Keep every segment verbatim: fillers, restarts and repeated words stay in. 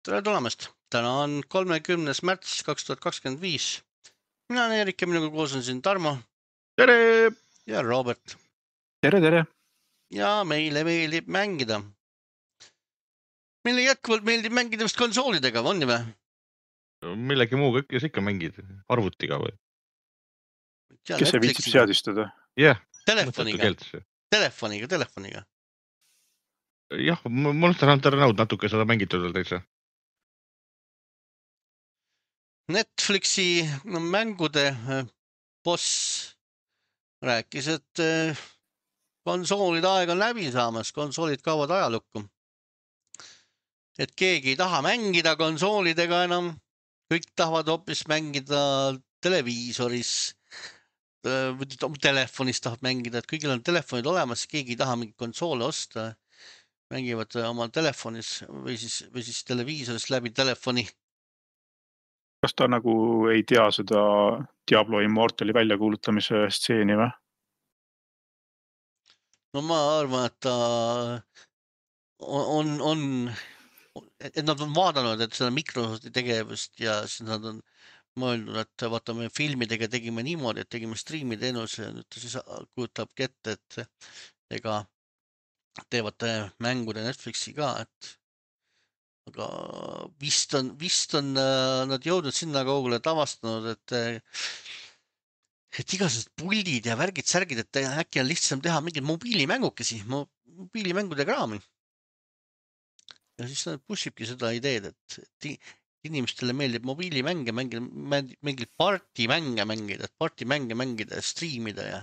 Tere tulemast! Täna on kolmekümnes märts kaks tuhat kakskümmend viis. Mina olen Erik ja minuga koos on siin Tarmo. Tere! Ja Robert. Tere, tere! Ja meile meeldib mängida. Meile jätkuvalt meeldib mängida vist konsoolidega, on nii või? Millegi muuga kes ikka mängid? Arvutiga või? Kes see viitsib seadistada? Jah, telefoniga. Telefoniga, telefoniga. Jah, Monster Hunter Now natuke seda mängitud veel täitsa. Netflixi mängude boss rääkis, et konsoolide aeg on läbi saamas, konsoolid kaovad ajalukku. Et keegi ei taha mängida konsoolidega enam, kõik tahavad hoopis mängida televiisoris, telefonis tahab mängida, et kõigil on telefonid olemas, keegi ei taha mingi konsoole osta, mängivad oma telefonis või siis, või siis televiisoris läbi telefoni. Kas ta nagu ei tea seda Diablo Immortali väljakuulutamise stseeni või? No ma arvan, et ta on, on, et nad on vaadanud, et seda Microsofti tegevust ja siis nad on mõeldud, et vaatame filmidega tegime niimoodi, et tegime streami teenuse ja nüüd ta siis kujutabki ette, et ega teevad mängude Netflixi ka, et aga vist on, vist on nad jõudnud sinna kaugele tavastanud, et et igasugused puldid ja värgid, särgid, et äkki on lihtsam teha mingid mobiilimängukesi, mobiilimängude kraami. Ja siis nad pushibki seda ideed, et inimestele meeldib mobiilimänge mängida, mingid partimänge mängida, et partimänge mängida ja streamida ja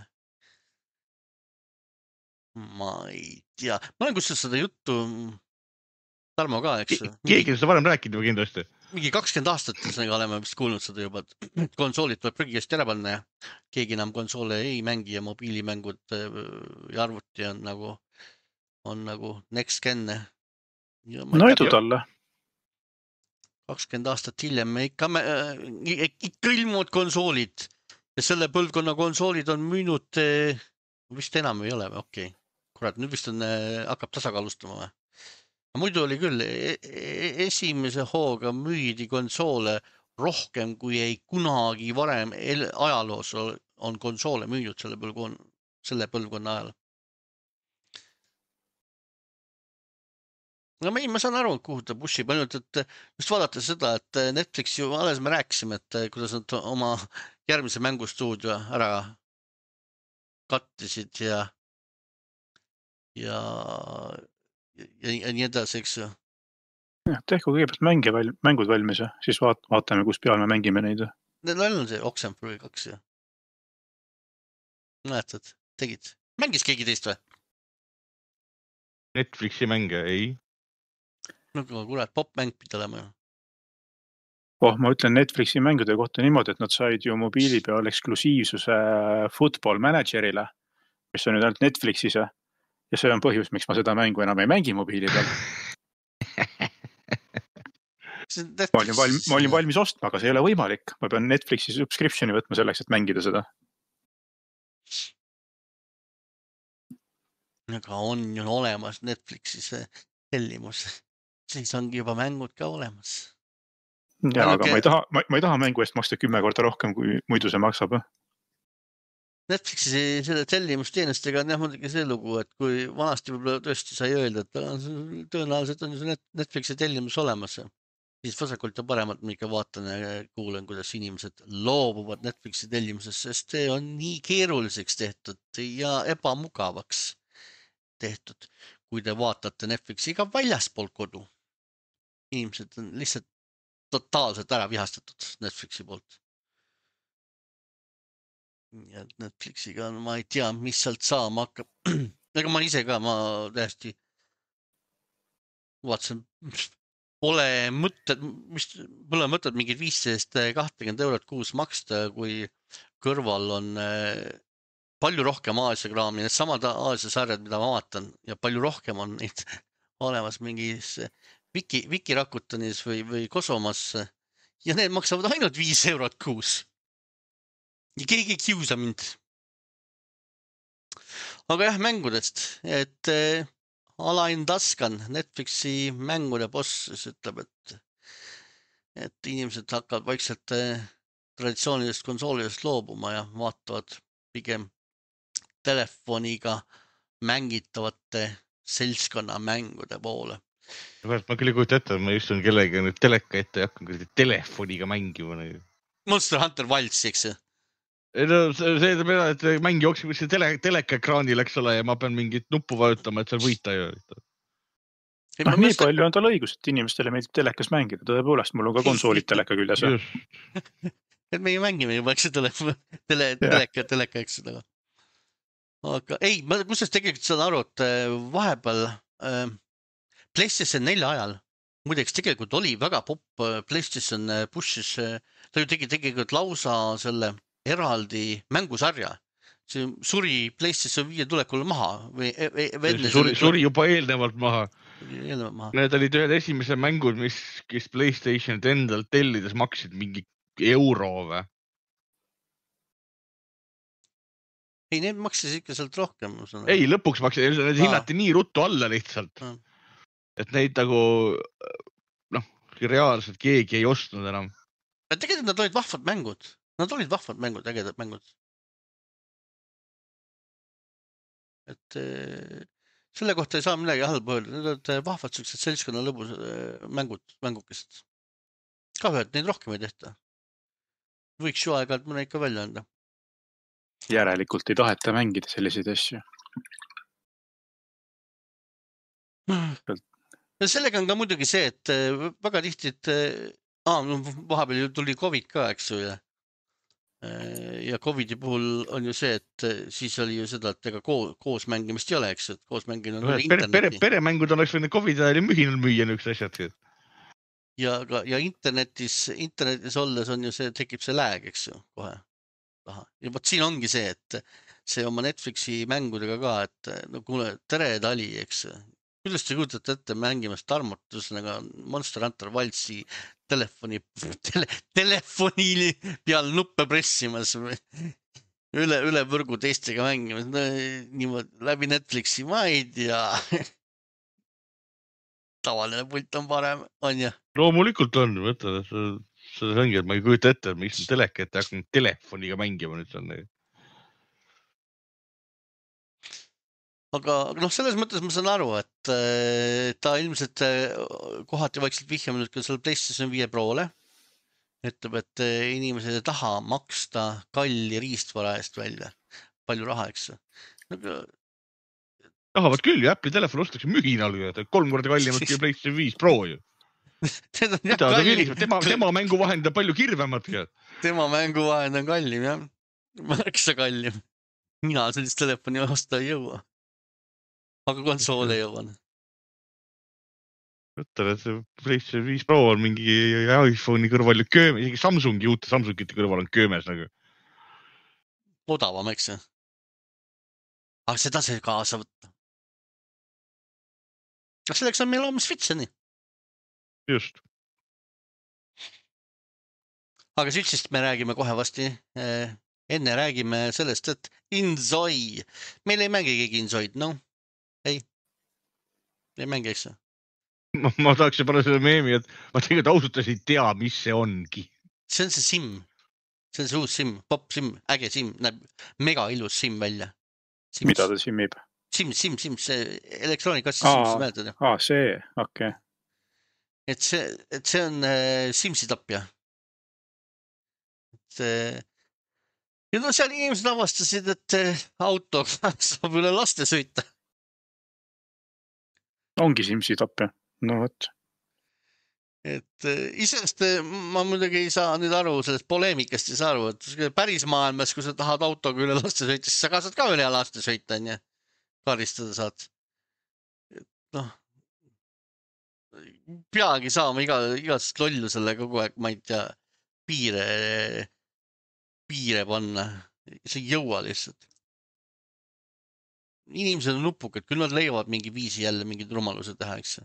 ma ei tea. Ma olen kusjuures seda juttu Tarmo ka, eks? Keegi seda varem rääkinud või kindlasti? Mingi kakskümmend aastat oleme vist kuulnud seda juba, et konsoolid tuleb prügikast ära panna ja keegi enam konsoole ei mängi ja mobiilimängud ja arvuti on nagu, on nagu next gen. No edu talle. kakskümmend aastat hiljem me ikka, me, ikka ilmuvad konsoolid ja selle põlvkonna konsoolid on müünud, vist enam ei ole või, okei. Okay. Kurat, nüüd vist on, hakkab tasakaalustama või? Muidu oli küll, esimese hooga müüdi konsoole rohkem, kui ei kunagi varem ajaloos on konsoole müünud selle põlvkonna, selle põlvkonna ajal. No ma, ma saan aru, kuhu ta pushib, ainult, et just vaadata seda, et Netflix ju alles me rääkisime, et kuidas nad oma järgmise mängustuudio ära kattisid ja ja ja, ja nii edasi, eks ju. Tehku kõigepealt mänge väl, mängud valmis ja siis vaat, vaatame, kus peal me mängime neid. Neil on see Oxenfree kaks ja näetad, tegid. Mängis keegi teist või? Netflixi mänge, ei. No kurat, popmäng pidi olema ju. Oh, ma ütlen Netflixi mängude kohta niimoodi, et nad said ju mobiili peal eksklusiivsuse Football Managerile, mis on nüüd ainult Netflixis ja Ja see on põhjus, miks ma seda mängu enam ei mängi mobiili peal. ma, olin valmis, ma olin valmis ostma, aga see ei ole võimalik. Ma pean Netflixi subscriptioni võtma selleks, et mängida seda. Aga on ju olemas Netflixis tellimus. Siis ongi juba mängud ka olemas. Ja, aga ma ei, taha, ma, ma ei taha mängu eest maksta kümme korda rohkem, kui muidu see maksab. Netflixi selle tellimusteenestega on jah muidugi see lugu, et kui vanasti võib-olla tõesti sai öelda, et tõenäoliselt on ju Netflixi tellimus olemas. Siis vasakult ja paremalt ma ikka vaatan ja kuulen, kuidas inimesed loobuvad Netflixi tellimusest, sest see on nii keeruliseks tehtud ja ebamugavaks tehtud. Kui te vaatate Netflixi ka väljaspool kodu, inimesed on lihtsalt totaalselt ära vihastatud Netflixi poolt. Ja Netflixiga ma ei tea, mis sealt saama hakkab. Ega ma ise ka, ma täiesti vaatasin, pole mõtted, mis pole mõtted mingid viisteist kakskümmend eurot kuus maksta, kui kõrval on palju rohkem Aasia kraami, need samad Aasia sarjad, mida ma vaatan ja palju rohkem on neid olemas mingis Viki, Viki Rakutanis või, või Kosomas ja need maksavad ainult viis eurot kuus. Ja keegi ei kiusa mind. Aga jah, mängudest, et äh, Alain Taskan, Netflixi mängude boss, ütleb, et et inimesed hakkavad vaikselt eh, traditsioonilist konsoolidest loobuma ja vaatavad pigem telefoniga mängitavate seltskonna mängude poole. ma küll ei kujuta ette, ma istun kellega nüüd teleka ette ja hakkan kuidagi telefoniga mängima. Monster Hunter Wilds, eks ju? Ei no see tähendab seda, et mäng jookseb kuskil tele, teleka ekraanil, eks ole, ja ma pean mingit nuppu vajutama, et seal võita ju. Ei, noh, ma nii mõtlen- palju on tal õigus, et inimestele meeldib telekas mängida. Tõepoolest, mul on ka konsoolid teleka küljes. Just. et meie mängime juba, eks see telefon, tele, teleka, teleka, eks seda. Aga ei, ma kusjuures tegelikult saan aru, et äh, vahepeal äh, PlayStation nelja ajal, muideks tegelikult oli väga popp äh, PlayStation äh, push'is, äh, ta ju tegi tegelikult lausa selle eraldi mängusarja. See suri PlayStation viie tulekul maha või e- e- enne Suri, selle- suri juba eelnevalt maha. eelnevalt maha. Need olid ühed esimesed mängud, mis, kes PlayStationit endalt tellides maksid mingi euro või? Ei, need maksis ikka sealt rohkem. ma saan aru. Ei, lõpuks maksid, need Aa. hinnati nii ruttu alla lihtsalt. Aa. Et neid nagu, noh, reaalselt keegi ei ostnud enam. Aga tegelikult nad olid vahvad mängud. Nad olid vahvad mängud, ägedad mängud. Et eh, selle kohta ei saa midagi halba öelda. Need olid eh, vahvad sellised seltskonna lõbus eh, mängud, mängukesed. Kahju, et neid rohkem ei tehta. Võiks ju aeg-ajalt mõne ikka välja anda. Järelikult ei taheta mängida selliseid asju. Ja sellega on ka muidugi see, et eh, väga tihti, et eh, aa, no vahepeal ju tuli Covid ka, eks ju. Ja, Eh, ja Covidi puhul on ju see, et eh, siis oli ju seda, et ega koos, koos mängimist ei ole, eks ju, et koos mängimine on Pere, pere, interneti. peremängud oleks võinud Covidi ajal mühinal müüa niisugused asjad. Ja, ka, ja internetis, internetis olles on ju see, tekib see lääg, eks ju, kohe taha. Ja võt siin ongi see, et see oma Netflixi mängudega ka, et no kuule, tere tali, eks. Kuidas te kujutate ette mängimast tarmutusega Monster Hunter Wildsi telefoni, tele, telefoni peal nuppe pressimas või üle, üle võrgu teistega mängimas. No, niimoodi läbi Netflixi, ma ei tea. Tavaline pult on parem, on ju? Loomulikult on, mõtle, see ongi, et ma ei kujuta ette, et ma istun teleka ette ja hakkan telefoniga mängima nüüd seal. Aga aga noh, selles mõttes ma saan aru, et äh, ta ilmselt äh, kohati vaikselt vihjame nüüd ka selle PlayStation viie Prole. Ütleb, et äh, inimesed ei taha maksta kalli riistvara eest välja. Palju raha, eks. Aga, Tahavad küll ju, Apple'i telefon ostakse mühinal ju, et kolm korda kallimalt kui PlayStation viis Pro ju. need on jah Mida, ta kallim. viliseb, tema, tema mängu vahend on palju kirvematki. Tema mänguvahend on kallim, jah. Märksa kallim. Mina sellist telefoni osta ei jõua. Aga konsoole jõuan. Mõtlen, et see PlayStation viis Pro on mingi iPhone'i kõrval ju köömes, isegi Samsungi, uute Samsungite kõrval on köömes nagu. Odavam, eks? Aga seda see kaasa võtta. Aga selleks on meil oma Switcheni. Just. Aga Switchist me räägime kohe vasti. Enne räägime sellest, et Inzoi. Meil ei mängi keegi Inzoid, no? Ei. Ei mängi, eks? Ma, ma tahaks panna selle meemi, et ma tegelikult ausalt ei tea, mis see ongi. See on see SIM. See on see uus SIM, pop SIM, äge SIM. Näeb mega ilus SIM välja. Sims. Mida ta simmib? SIM, SIM, SIM, see elektroonikassi Aa. SIM, see mäletad. Aa, see, okei. Okay. Et see, et see on äh, Simsi tapja. Et, äh, ja no seal inimesed avastasid, et äh, auto saab üle laste sõita. Ongi Simsi tapja. No võt. Et äh, isest äh, ma muidugi ei saa nüüd aru, sellest poleemikast ei saa aru, et päris maailmas, kui sa tahad autoga üle laste sõita, siis sa ka saad ka üle laste sõita, on ju. Karistada saad. Et noh, peagi saama iga, igast lollusele kogu aeg, ma ei tea, piire, piire panna. See ei jõua lihtsalt. Inimesed on nupukad, küll nad leiavad mingi viisi jälle mingid rumaluse teha, eks.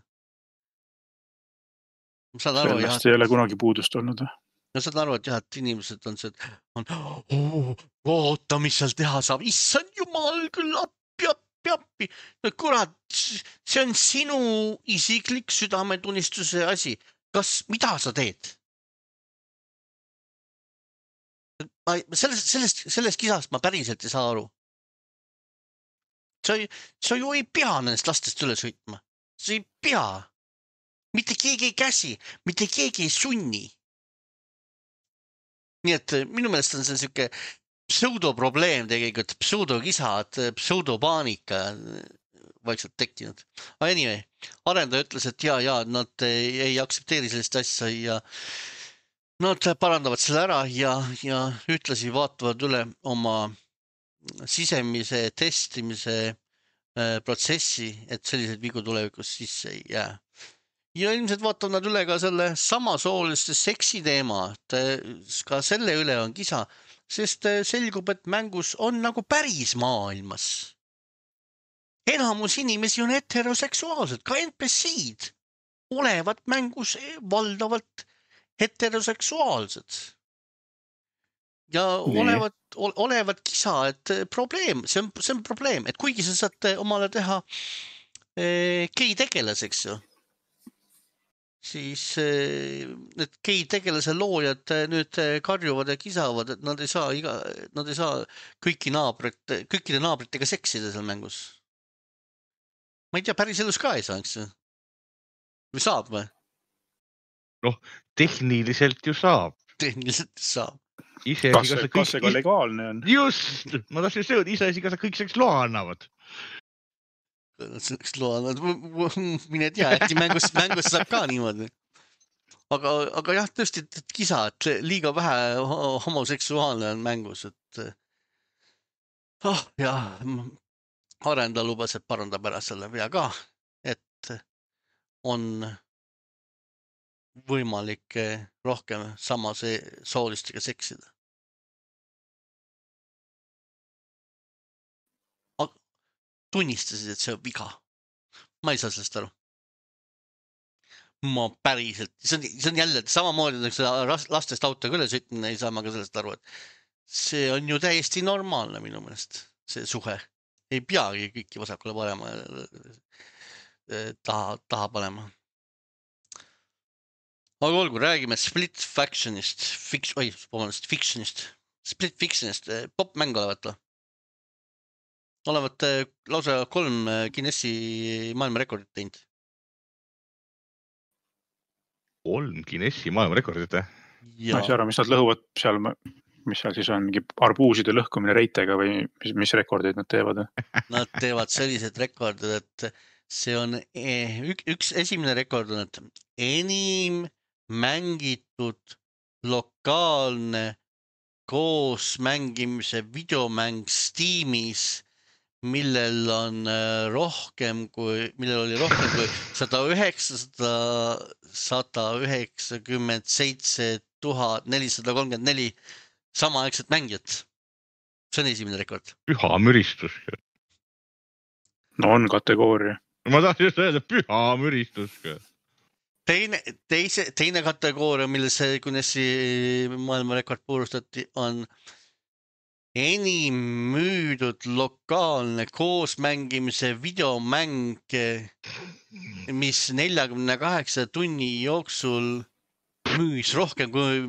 Ma saan aru, jah. Sellest ei ole kunagi puudust olnud. Ma saan aru, et jah, et inimesed on see, et on, oh, oota, mis seal teha saab. Issand jumal, küll appi, appi, appi. No kurat, see on sinu isiklik südametunnistuse asi. Kas, mida sa teed? ma sellest, sellest, sellest kisast ma päriselt ei saa aru. Sa, sa ju ei pea nendest lastest üle sõitma. Sa ei pea. Mitte keegi ei käsi, mitte keegi ei sunni. Nii et minu meelest on see siuke pseudoprobleem tegelikult, pseudokisad, pseudopaanika vaikselt tekkinud. Aga anyway, arendaja ütles, et jaa, jaa, nad ei, ei aktsepteeri sellist asja ja nad parandavad selle ära ja, ja ütlesi vaatavad üle oma sisemise testimise äh, protsessi, et sellised vigu tulevikus sisse ei jää. Ja ilmselt vaatavad nad üle ka selle samasooliste seksi teema, et ka selle üle on kisa, sest selgub, et mängus on nagu päris maailmas. Enamus inimesi on heteroseksuaalsed, ka N P C-d olevat mängus valdavalt heteroseksuaalsed. Ja Nii. olevat, olevat kisa, et probleem, see on, see on probleem, et kuigi sa saad omale teha eh, gei tegelaseks ju, siis need gei tegelase loojad nüüd karjuvad ja kisavad, et nad ei saa, iga, nad ei saa kõiki naabrit, kõikide naabritega seksida seal mängus. Ma ei tea, päris elus ka ei saa, eks ju? Või saab või? Noh, tehniliselt ju saab. Tehniliselt saab. Ise kas see, kas see ka legaalne on? Just, ma tahtsin sööda, ise esi, kas sa kõik selleks loa annavad. Selleks loa annavad, mine tea, äkki mängus, mängus saab ka niimoodi. Aga, aga jah, tõesti, et kisa, et liiga vähe homoseksuaalne on mängus, et oh, jah, arendaja lubas, et parandab ära selle vea ka, et on võimalik rohkem samase soolistega seksida. Tunnistasid, et see on viga. Ma ei saa sellest aru. Ma päriselt, see on, see on jälle samamoodi, et lastest auto üle sõitmine ei saa ma ka sellest aru, et see on ju täiesti normaalne minu meelest, see suhe. Ei peagi kõiki vasakule parema taha, taha panema. Aga olgu, räägime Split Factionist, fix, oi, vabandust, Fictionist, Split Fictionist, popmäng olevat või? Olevat lausa kolm Guinessi maailmarekordit teinud. Kolm Guinessi maailmarekordit, eh? Ma ei saa aru, mis nad lõhuvad seal, mis seal siis on, mingi arbuuside lõhkumine reitega või mis, mis rekordeid nad teevad? Nad teevad sellised rekordid, et see on üks, üks esimene rekord on, et enim mängitud lokaalne koos mängimise videomäng Steamis, millel on rohkem kui, millel oli rohkem kui sada üheksakümmend seitse tuhat nelisada kolmkümmend neli samaaegset mängijat. See on esimene rekord. Püha müristus. No on kategooria. Ma tahtsin just öelda, püha müristus. Teine, teise, teine kategooria, mille see Guinessi maailmarekord puurustati, on enim müüdud lokaalne koosmängimise videomäng, mis neljakümne kaheksa tunni jooksul müüs rohkem kui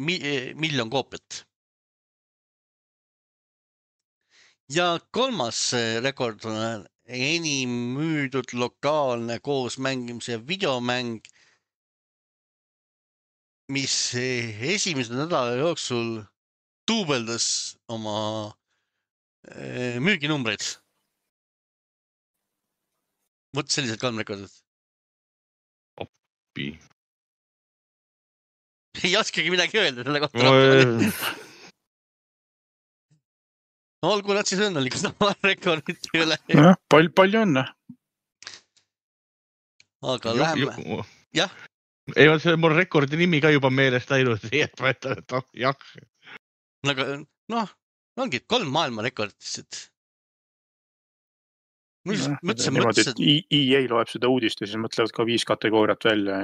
miljon koopiat. Ja kolmas rekord on enim müüdud lokaalne koosmängimise videomäng, mis esimese nädala jooksul tuubeldas oma müüginumbreid. Võt sellised kolm rekordid. Oppi. Ei oskagi midagi öelda selle kohta. Olgu nad siis õnnelikud oma rekordit üle. Ja, pal palju õnne. Aga läheme. Jah. Ei, see on mul rekordi nimi ka juba meelest läinud. Jah. Aga noh, ongi kolm maailma rekordit. Mõtlesin, mõtlesin. E A loeb seda uudist ja siis mõtlevad ka viis kategooriat välja.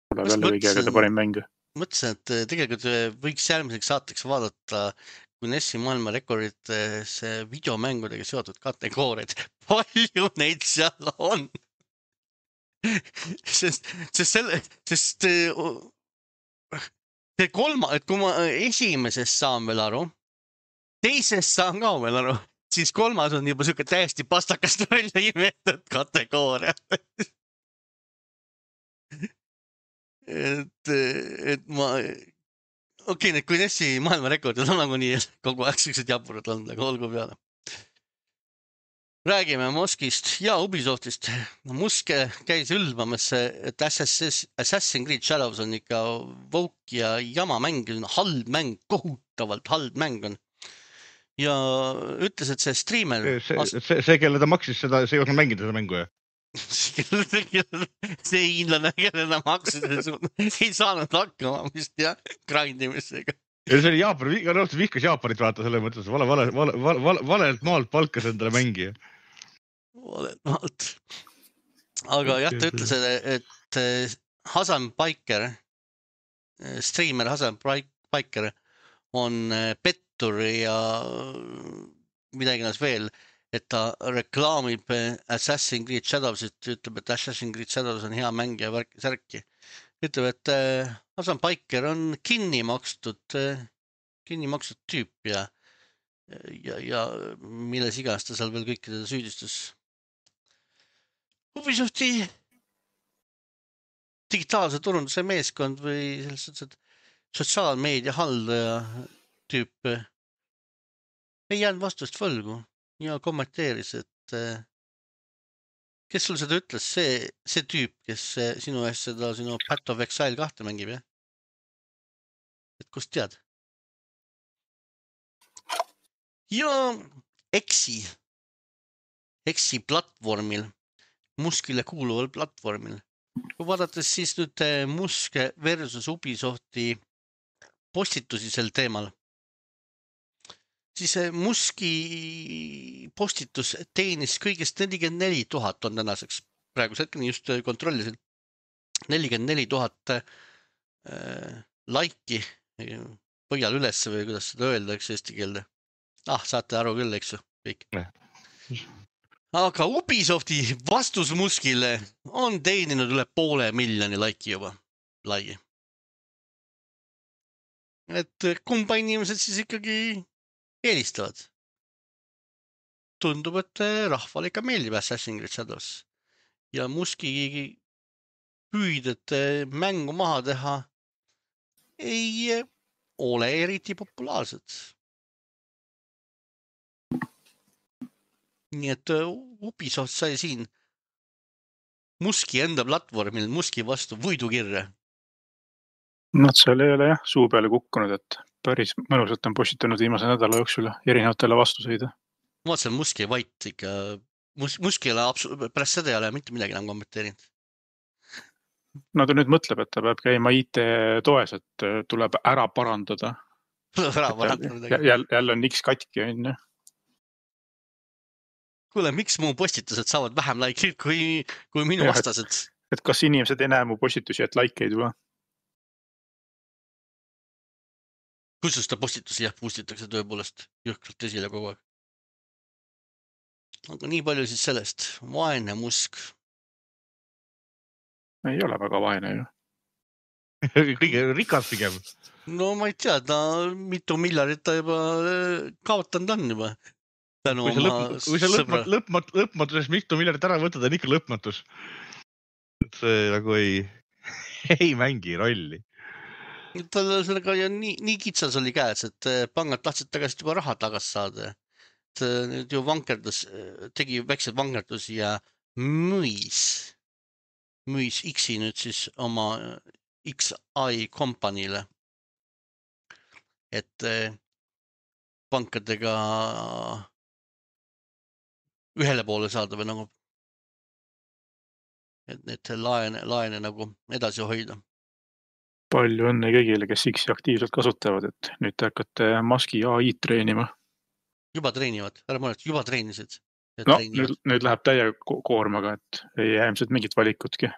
Tuleb jälle kõigi aegade parim mängu. Mõtlesin, et tegelikult võiks järgmiseks saateks vaadata Guinessi maailma rekordit see videomängudega seotud kategooriad. Palju neid seal on? Sest, sest, selle, sest see kolma, et kui ma esimesest saan veel aru, teisest saan ka veel aru, siis kolmas on juba siuke täiesti pastakast välja imetud kategooria. et, et ma, okei okay,, need Guinessi maailmarekordid on nagu nii kogu aeg siuksed jaburad olnud, aga olgu peale. Räägime Muskist ja Ubisoftist. Musk käis ülbamas, et Assassin's Creed Shadows on ikka vouk ja jama mäng, halb mäng, kohutavalt halb mäng on. Ja ütles, et see streamer... See, see, see, see kelle ta maksis seda, see ei osanud mängida seda mängu, jah? see hiinlane, kelle ta maksis, ei saanud hakkama vist jah, grindimistega. Ja see oli Jaapan, nõustus vihkas Jaapanit vaata selle mõttes, vale, vale, vale, vale, valelt maalt palkas endale mängija. Valelt maalt. Aga jah, ta ütles, et Hasan Biker, streamer Hasan Biker on pettur ja midagi näes veel, et ta reklaamib Assassin's Creed Shadows, ütleb, et Assassin's Creed Shadows on hea mäng ja värk, särki. Ütleb, et Hasan Biker on kinni makstud, kinni makstud tüüp ja, ja, ja milles iganes ta seal veel kõikide süüdistus. Ubisofti digitaalse turunduse meeskond või sellised sotsiaalmeedia haldaja tüüp ei jäänud vastust võlgu ja kommenteeris, et kes sul seda ütles, see, see tüüp, kes sinu eest seda sinu Path of Exile kahte mängib, jah? Et kust tead? Ja Exi, Exi platvormil, Muskile kuuluval platvormil. Kui vaadates siis nüüd Musk versus Ubisofti postitusi sel teemal, siis Muski postitus teenis kõigest nelikümmend neli tuhat on tänaseks. Praeguse hetkeni just kontrollisin. nelikümmend neli tuhat äh, laiki põhjal üles või kuidas seda öelda, eks eesti keelde. Ah, saate aru küll, eks ju, kõik. Aga Ubisofti vastus Muskile on teeninud üle poole miljoni laiki juba lai. Et kumba inimesed siis ikkagi eelistavad. Tundub, et rahvale ikka meeldib Assassin's Creed Shadows. Ja Muski püüded mängu maha teha ei ole eriti populaarsed. Nii et Ubisoft sai siin Muski enda platvormil Muski vastu võidukirja. Nad seal ei ole jah suu peale kukkunud, et päris mõnusalt on postitanud viimase nädala jooksul erinevatele vastuseid. Ma vaatasin Muski vait ikka, Mus, Muski ei ole absoluut, pärast seda ei ole mitte midagi enam kommenteerinud. No ta nüüd mõtleb, et ta peab käima I T-toes, et tuleb ära parandada. Tuleb ära parandada. Jälle, jälle on X katki, on ju. Kuule, miks mu postitused saavad vähem laikeid kui, kui minu ja, vastased? Et, et kas inimesed ei näe mu postitusi, et laikeid või? Kusjuures ta postitusi jah, pustitakse tõepoolest jõhkralt esile kogu aeg. Aga nii palju siis sellest. Vaene Musk. Ei ole väga vaene ju. Kõige rikas pigem. No ma ei tea, ta mitu miljardit ta juba kaotanud on juba. Tänu kui sa lõpmat, lõpmat, lõpmatusest mitu miljardit ära võtad, on ikka lõpmatus. Et see nagu ei, ei mängi rolli. Tal sellega nii, nii kitsas oli käes, et pangad tahtsid tagasi juba raha tagasi saada. Et nüüd ju vankerdus, tegi väiksed vangerdusi ja müüs, müüs X-i nüüd siis oma X I kompaniile. Et pankadega ühele poole saada või nagu, et need laene, laene nagu edasi hoida. Palju õnne kõigile, kes X-i aktiivselt kasutavad, et nüüd te hakkate Muski A I treenima. Juba treenivad, ära mõelda, juba treenisid. No, nüüd, nüüd läheb täie koormaga, et ei jää ilmselt mingit valikutki.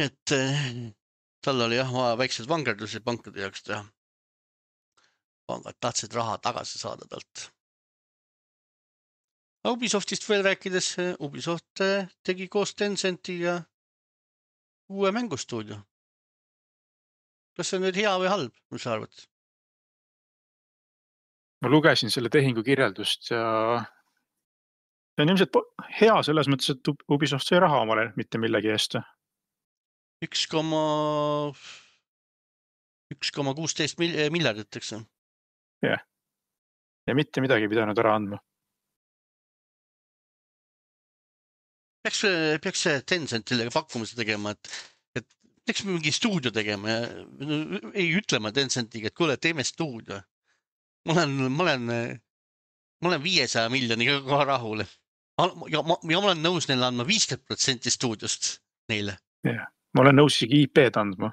Et tal oli jah vaja väiksed vangerdusi pankade jaoks teha. Pangad tahtsid raha tagasi saada talt. Ubisoftist veel rääkides, Ubisoft tegi koos Tencentiga uue mängustuudio. kas see on nüüd hea või halb, mis sa arvad? Ma lugesin selle tehingu kirjeldust ja see on ilmselt hea selles mõttes, et Ubisoft sai raha omale mitte millegi eest. üks koma kuusteist miljardit, eks? Jah. Ja mitte midagi pidanud ära andma. Peaks, peaks Tencentile pakkumise tegema, et, et peaks mingi stuudio tegema ja ei ütlema Tencentiga, et kuule, teeme stuudio. Ma olen, ma olen, ma olen viiesaja miljoniga ka rahul. Ja ma, ja ma olen nõus neile andma viiskümmend protsenti stuudiost neile. Ja. Ma olen nõus isegi I P-d andma.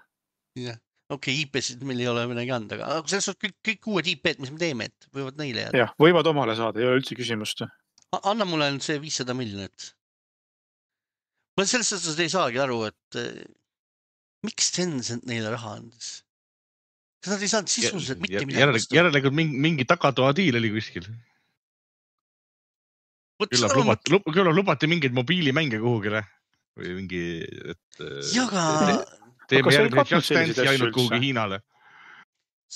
Jah. Okei, okay, I P-sid meil ei ole midagi anda, aga selles on kõik, kõik uued I P-d, mis me teeme, et võivad neile jääda. Jah, võivad omale saada, ei ole üldse küsimust. Anna mulle see viissada miljonit. Ma selles suhtes ei saagi aru, et miks Tencent neile raha andis? Kas nad ei saanud sisuliselt mitte midagi vastu? Järelikult mingi, mingi tagatoa diil oli kuskil. Küllap lubati, küllap lubati mingeid mobiilimänge kuhugile. Või mingi, et Jaga... teeme järgmine Just Dance ja ainult kuhugi Hiinale.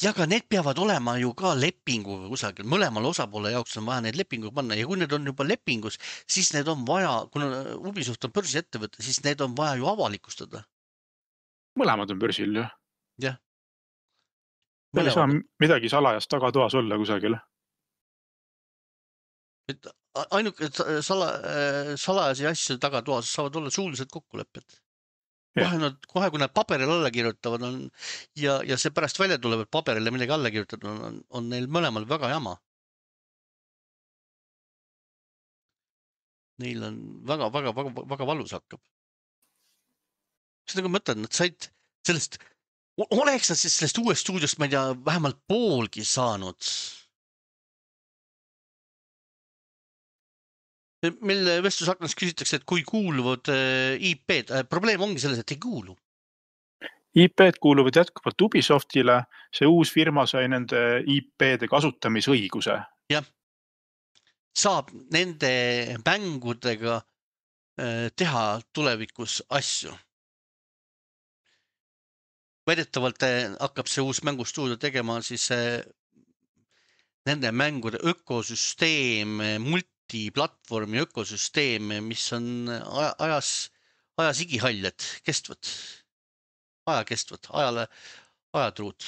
Ja aga need peavad olema ju ka lepinguga kusagil. Mõlemal osapoole jaoks on vaja need lepingu panna. Ja kui need on juba lepingus, siis need on vaja, kuna Ubisoft on börsi ettevõte, siis need on vaja ju avalikustada. Mõlemad on börsil, jah. Jah. Ei saa midagi salajast tagatoas olla kusagil. Et ainuke sala, salajasi asju tagatoas saavad olla suulised kokkulepped. Kohe, nad, kohe kui nad paberil alla kirjutavad on, ja, ja see pärast välja tuleb, et paberile midagi alla kirjutatud on, on neil mõlemal väga jama. Neil on väga, väga, väga, väga valus hakkab. Mis nagu mõtled, nad said sellest, oleks nad siis sellest uuest stuudiost, ma ei tea, vähemalt poolgi saanud. Meil vestlusaknas küsitakse, et kui kuuluvad I P-d, probleem ongi selles, et ei kuulu. I P-d kuuluvad jätkuvalt Ubisoftile, see uus firma sai nende I P-de kasutamisõiguse. Jah, saab nende mängudega teha tulevikus asju. Väidetavalt hakkab see uus mängustuudio tegema siis nende mängude ökosüsteem, multi platvormi ökosüsteem, mis on ajas, ajas igihalled, kestvad, aja kestvad, ajale, ajatruud.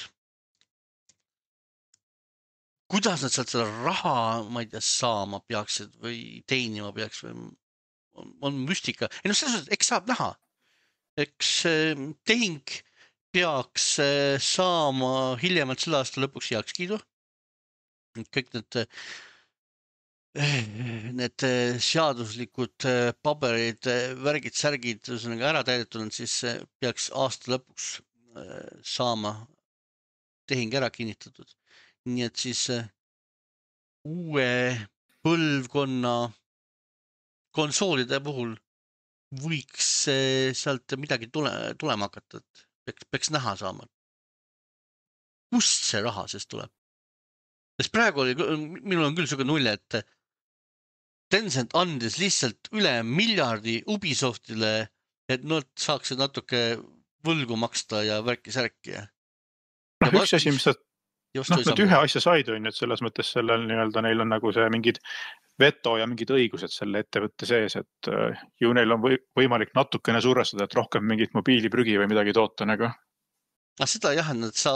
Kuidas nad sealt seda raha, ma ei tea, saama peaksid või teenima peaks või on, on müstika. Ei no selles mõttes, eks saab näha. Eks tehing peaks saama hiljemalt selle aasta lõpuks heaks kiidu. Kõik need need seaduslikud paberid, värgid, särgid ära täidetud, siis peaks aasta lõpuks saama tehing ära kinnitatud. Nii et siis uue põlvkonna konsoolide puhul võiks sealt midagi tule, tulema hakata, et peaks, peaks näha saama. Kust see raha siis tuleb? Sest praegu oli, minul on küll selline nulje, et Tencent andis lihtsalt üle miljardi Ubisoftile, et nad saaksid natuke võlgu maksta ja värki-särki. No, üks asi, mis nad, noh, nad ühe asja said, on, et selles mõttes sellel nii-öelda neil on nagu see mingid veto ja mingid õigused selle ettevõtte sees, et ju neil on võimalik natukene survestada, et rohkem mingit mobiiliprügi või midagi toota nagu. Ah, seda jah, et, sa,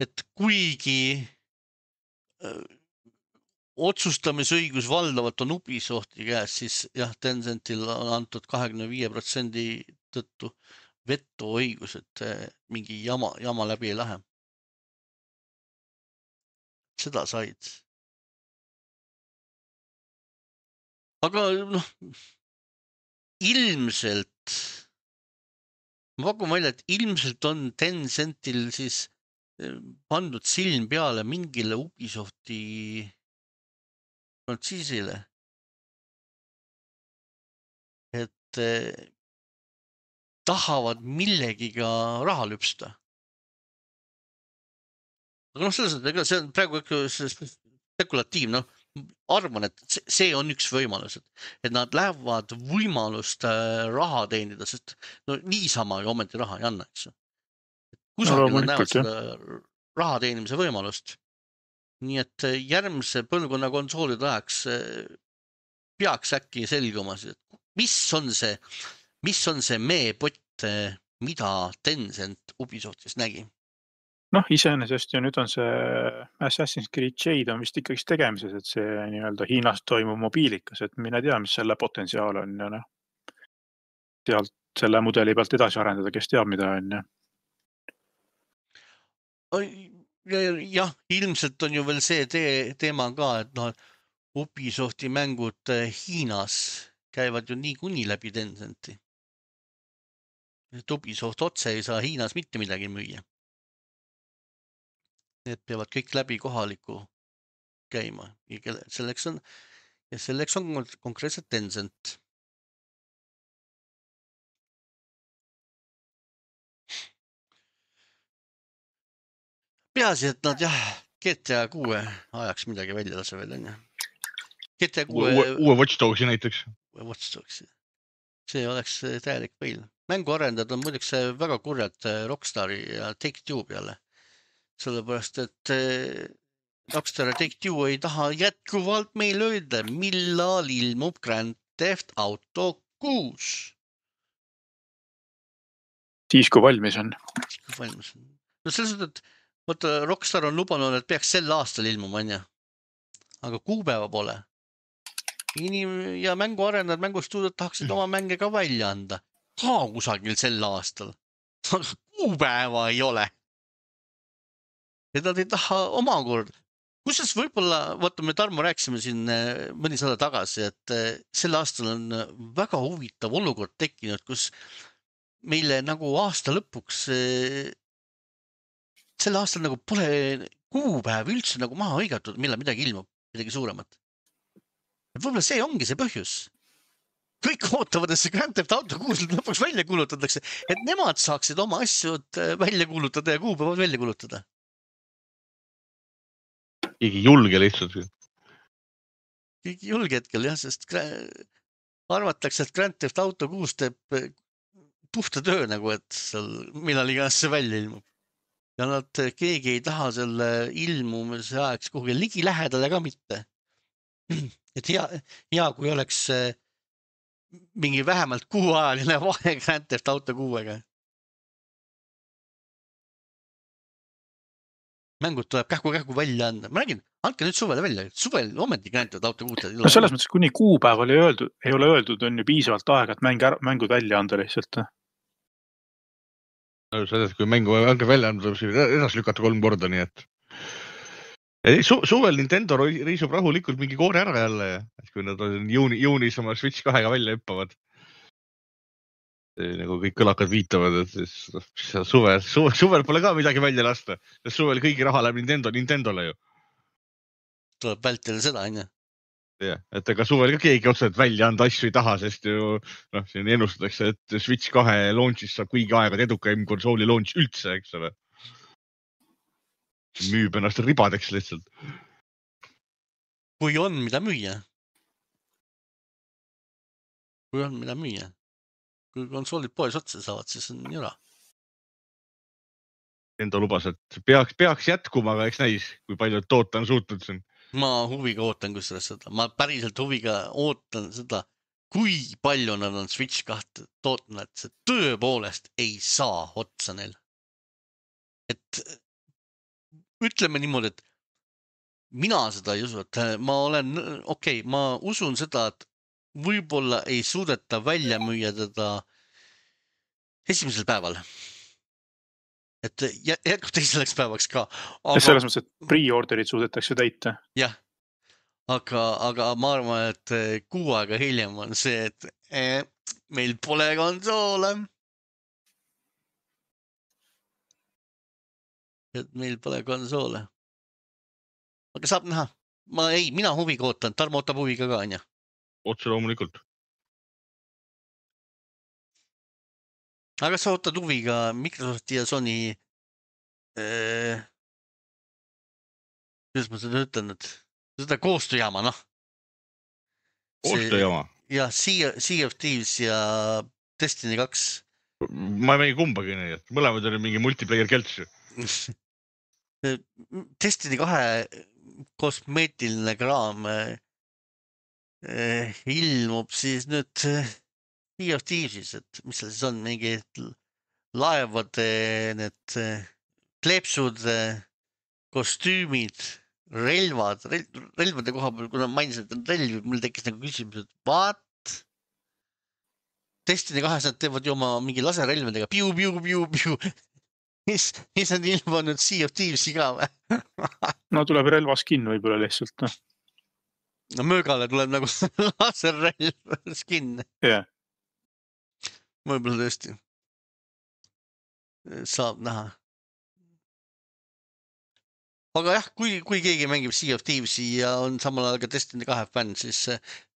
et kuigi otsustamisõigus valdavalt on Ubisofti käes, siis jah, Tencentil on antud kahekümne viie protsendi tõttu veto õigus, et mingi jama, jama läbi ei lähe. Seda said. Aga noh, ilmselt, ma pakun välja, et ilmselt on Tencentil siis pandud silm peale mingile Ubisofti frantsiisile, et tahavad millegiga raha lüpsta. Aga noh, selles mõttes, see on praegu spekulatiiv, noh, arvan, et see on üks võimalus, et nad lähevad võimalust raha teenida, sest no niisama ju ometi raha ei anna, eks. kusagil No nad näevad loomulikult, seda raha teenimise võimalust. Nii et järgmise põlvkonna konsoolide ajaks eh, peaks äkki selguma, et mis on see, mis on see meepott, eh, mida Tencent Ubisoftis nägi. noh, iseenesest ju nüüd on see Assassin's Creed Jade on vist ikkagi tegemises, et see nii-öelda Hiinas toimub mobiilikas, et mine tea, mis selle potentsiaal on ja noh, sealt selle mudeli pealt edasi arendada, kes teab, mida on. Jah, ilmselt on ju veel see te teema ka, et noh, Ubisofti mängud Hiinas käivad ju niikuinii läbi Tencenti. Et Ubisoft otse ei saa Hiinas mitte midagi müüa. Need peavad kõik läbi kohaliku käima. Ja selleks on, ja selleks on konkreetselt Tencent. Peaasi, et nad jah, G T A kuue ajaks midagi välja lase veel, on ju. G T A kuue... Uue, uue Watch Dogsi näiteks. Watch Dogsi. See oleks täielik peil. Mänguarendajad on muideks väga kurjad Rockstari ja Take-Two peale. Sellepärast, et Rockstar ja Take-Two ei taha jätkuvalt meil öelda, millal ilmub Grand Theft Auto kuus. Siis, kui valmis on. Siis, kui valmis on. No selles mõttes, et võtta, Rockstar on lubanud, et peaks sel aastal ilmuma, on ja. Aga kuupäeva pole. Inim- ja mänguarendajad, mängustuudiod tahaksid oma mänge ka välja anda. Ka kusagil sel aastal. Aga kuupäeva ei ole. Ja nad ei taha omakord. Kusjuures võib-olla, vaata, me Tarmo rääkisime siin mõni saade tagasi, et sel aastal on väga huvitav olukord tekkinud, kus meile nagu aasta lõpuks sel aastal nagu pole kuupäev üldse nagu maha hõigatud, millal midagi ilmub, midagi suuremat. Võib-olla see ongi see põhjus. Kõik ootavad, et see Grand Theft Auto kuus lõpuks välja kuulutatakse, et nemad saaksid oma asjad välja kuulutada ja kuupäevad välja kuulutada. Keegi julge lihtsalt. Keegi julge hetkel, jah, sest arvatakse, et Grand Theft Auto kuus teeb puhta töö nagu, et seal millal iganes see välja ilmub. Ja nad, keegi ei taha selle ilmumise ajaks kuhugi ligi lähedale ka mitte. Et hea, hea, kui oleks mingi vähemalt kuuajaline vahe Grand Theft Auto kuuega. Mängud tuleb kähku-kähku välja anda. Ma räägin, andke nüüd suvele välja. Suvel ometi Grand Theft Auto kuus. No selles mõttes, kuni kuupäeval ei, öeldud, ei ole öeldud, on ju piisavalt aega, et mäng, mängud välja anda lihtsalt. No selles, kui mängu hange välja anda, tuleb edasi lükata kolm korda, nii et Su suvel Nintendo riisub rahulikult mingi koore ära jälle, kui nad on juuni, juunis oma Switch kahega välja hüppavad. Nagu kõik kõlakad viitavad, et siis suvel, suvel, suvel pole ka midagi välja lasta. Suvel kõigi raha läheb Nintendo, Nintendole ju. Tuleb vältida seda, on ju? Ja, et ega suvel ka keegi otseselt välja anda asju ei taha, sest ju noh, siin ennustatakse, et Switch kahe launch'is saab kuigi aegad edukaim konsooli launch üldse, eks ole. Müüb ennast ribadeks lihtsalt. Kui on mida müüa. Kui on mida müüa. Kui konsoolid poes otsa saavad, siis on jura. Enda lubas, et peaks, peaks jätkuma, aga eks näis, kui palju toota on suutnud siin. Ma huviga ootan kusjuures seda. Ma päriselt huviga ootan seda, kui palju nad on Switch kahte tootnud, et see tõepoolest ei saa otsa neil. Et ütleme niimoodi, et mina seda ei usu, et ma olen, okei, okay, ma usun seda, et võib-olla ei suudeta välja müüa teda esimesel päeval. Et jätkub teiselleks päevaks ka. Aga... Selles mõttes, et pre-orderid suudetakse täita. Jah, aga, aga ma arvan, et kuu aega hiljem on see, et eh, meil pole konsoole. Et meil pole konsoole. Aga saab näha. Ma ei, mina huviga ootan. Tarmo ootab huviga ka, on ja? Otse loomulikult. Aga sa ootad huviga Microsofti ja Sony äh, kuidas ma seda ütlen, et seda koostööjaama, noh. Koostööjaama? Ja Sea, sea of Thieves ja Destiny kaks ma ei mängi kumbagi nii, et mõlemad oli mingi multiplayer kelts. Destiny kahe kosmeetiline kraam eh, ilmub siis nüüd Sea of Thievesis, et mis seal siis on, mingi laevade need kleepsud, kostüümid, relvad, relvade koha peal, kuna mainisid, et on relvi, mul tekkis nagu küsimus, et what? Destiny kahes nad teevad ju oma mingi laserelvedega piu, piu, piu, piu. Mis, mis on ilmunud Sea of Thievesi ka või? No tuleb relvaskin võib-olla lihtsalt. No, no möögale tuleb nagu laserrelv skin. Yeah. Võib-olla tõesti. Saab näha. Aga jah, kui, kui keegi mängib Sea of Thievesi ja on samal ajal ka Destiny kahe fänn, siis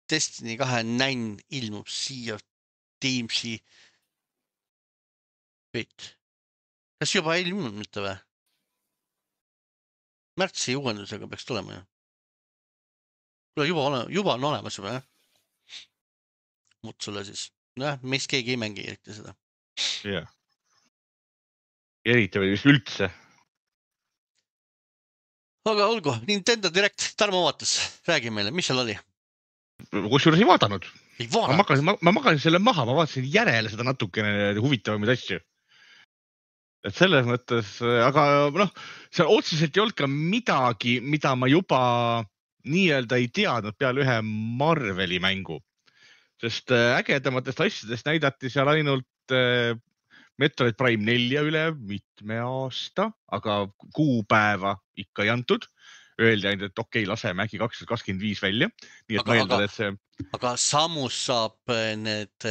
Destiny kahe nänn ilmub Sea of Thievesi Wait. Kas juba ei ilmunud mitte või? Märtsi uuendusega peaks tulema ju. Juba, ole, juba on olemas juba, jah? Mut sulle siis. Noh, meist keegi ei mängi eriti seda. Jah. Eriti või vist üldse. Aga olgu, Nintendo Direct, Tarmo vaatas. Räägi meile, mis seal oli? Kus juures ei vaadanud? Ei vaadanud? Ma magasin, ma, ma magasin selle maha, ma vaatasin järele seda natukene huvitavamaid asju. Et selles mõttes, aga noh, seal otseselt ei olnud ka midagi, mida ma juba nii-öelda ei teadnud peale ühe Marveli mängu. Sest ägedamatest asjadest näidati seal ainult Metroid Prime nelja üle mitme aasta, aga kuupäeva ikka ei antud. Öeldi ainult, et okei, laseme äkki kaks tuhat kakskümmend viis välja. Nii et aga, ma eeldan, et see... Aga samus saab need...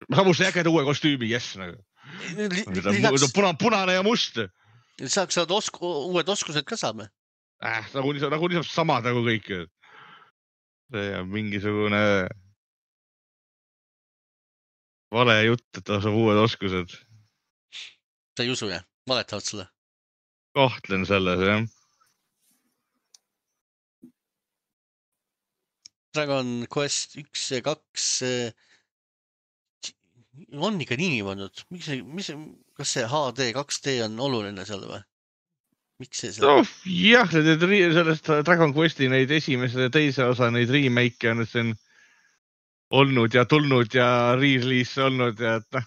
Samus ägeda uue kostüümi, yes. Li, lisaks... Puna, punane ja must. Lisaks saad osku, uued oskused ka saame. Äh, nagu, nagu niisama samad nagu kõik. See on mingisugune vale jutt, et ta saab uued oskused. Sa ei usu, jah? Valetavad sulle? Kahtlen selles, jah. Dragon Quest üks ja kaks on ikka nii niimoodi. Miks see, mis, kas see H D, kaks D on oluline seal või? Miks see seal? No, jah, sellest Dragon Questi neid esimese ja teise osa neid remake on siin olnud ja tulnud ja re-release olnud ja et noh,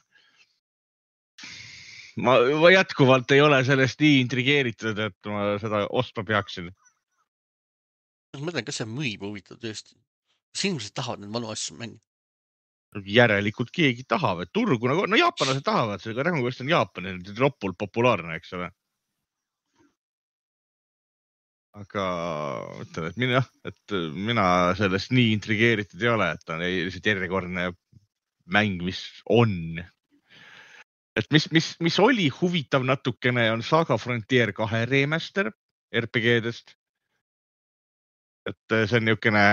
ma, ma jätkuvalt ei ole sellest nii intrigeeritud, et ma seda ostma peaksin. Ma mõtlen, kas see müüb huvitav tõesti? Kas inimesed tahavad need vanu asju mängi? Järelikult keegi tahab, et turgu, nagu, no jaapanlased tahavad, see Dragon Quest on Jaapani, ropult populaarne, eks ole. Aga ütlen, et mina, et mina sellest nii intrigeeritud ei ole, et on lihtsalt järjekordne mäng, mis on. Et mis, mis, mis oli huvitav natukene on Saga Frontier kahe remaster R P G-dest. Et see on niisugune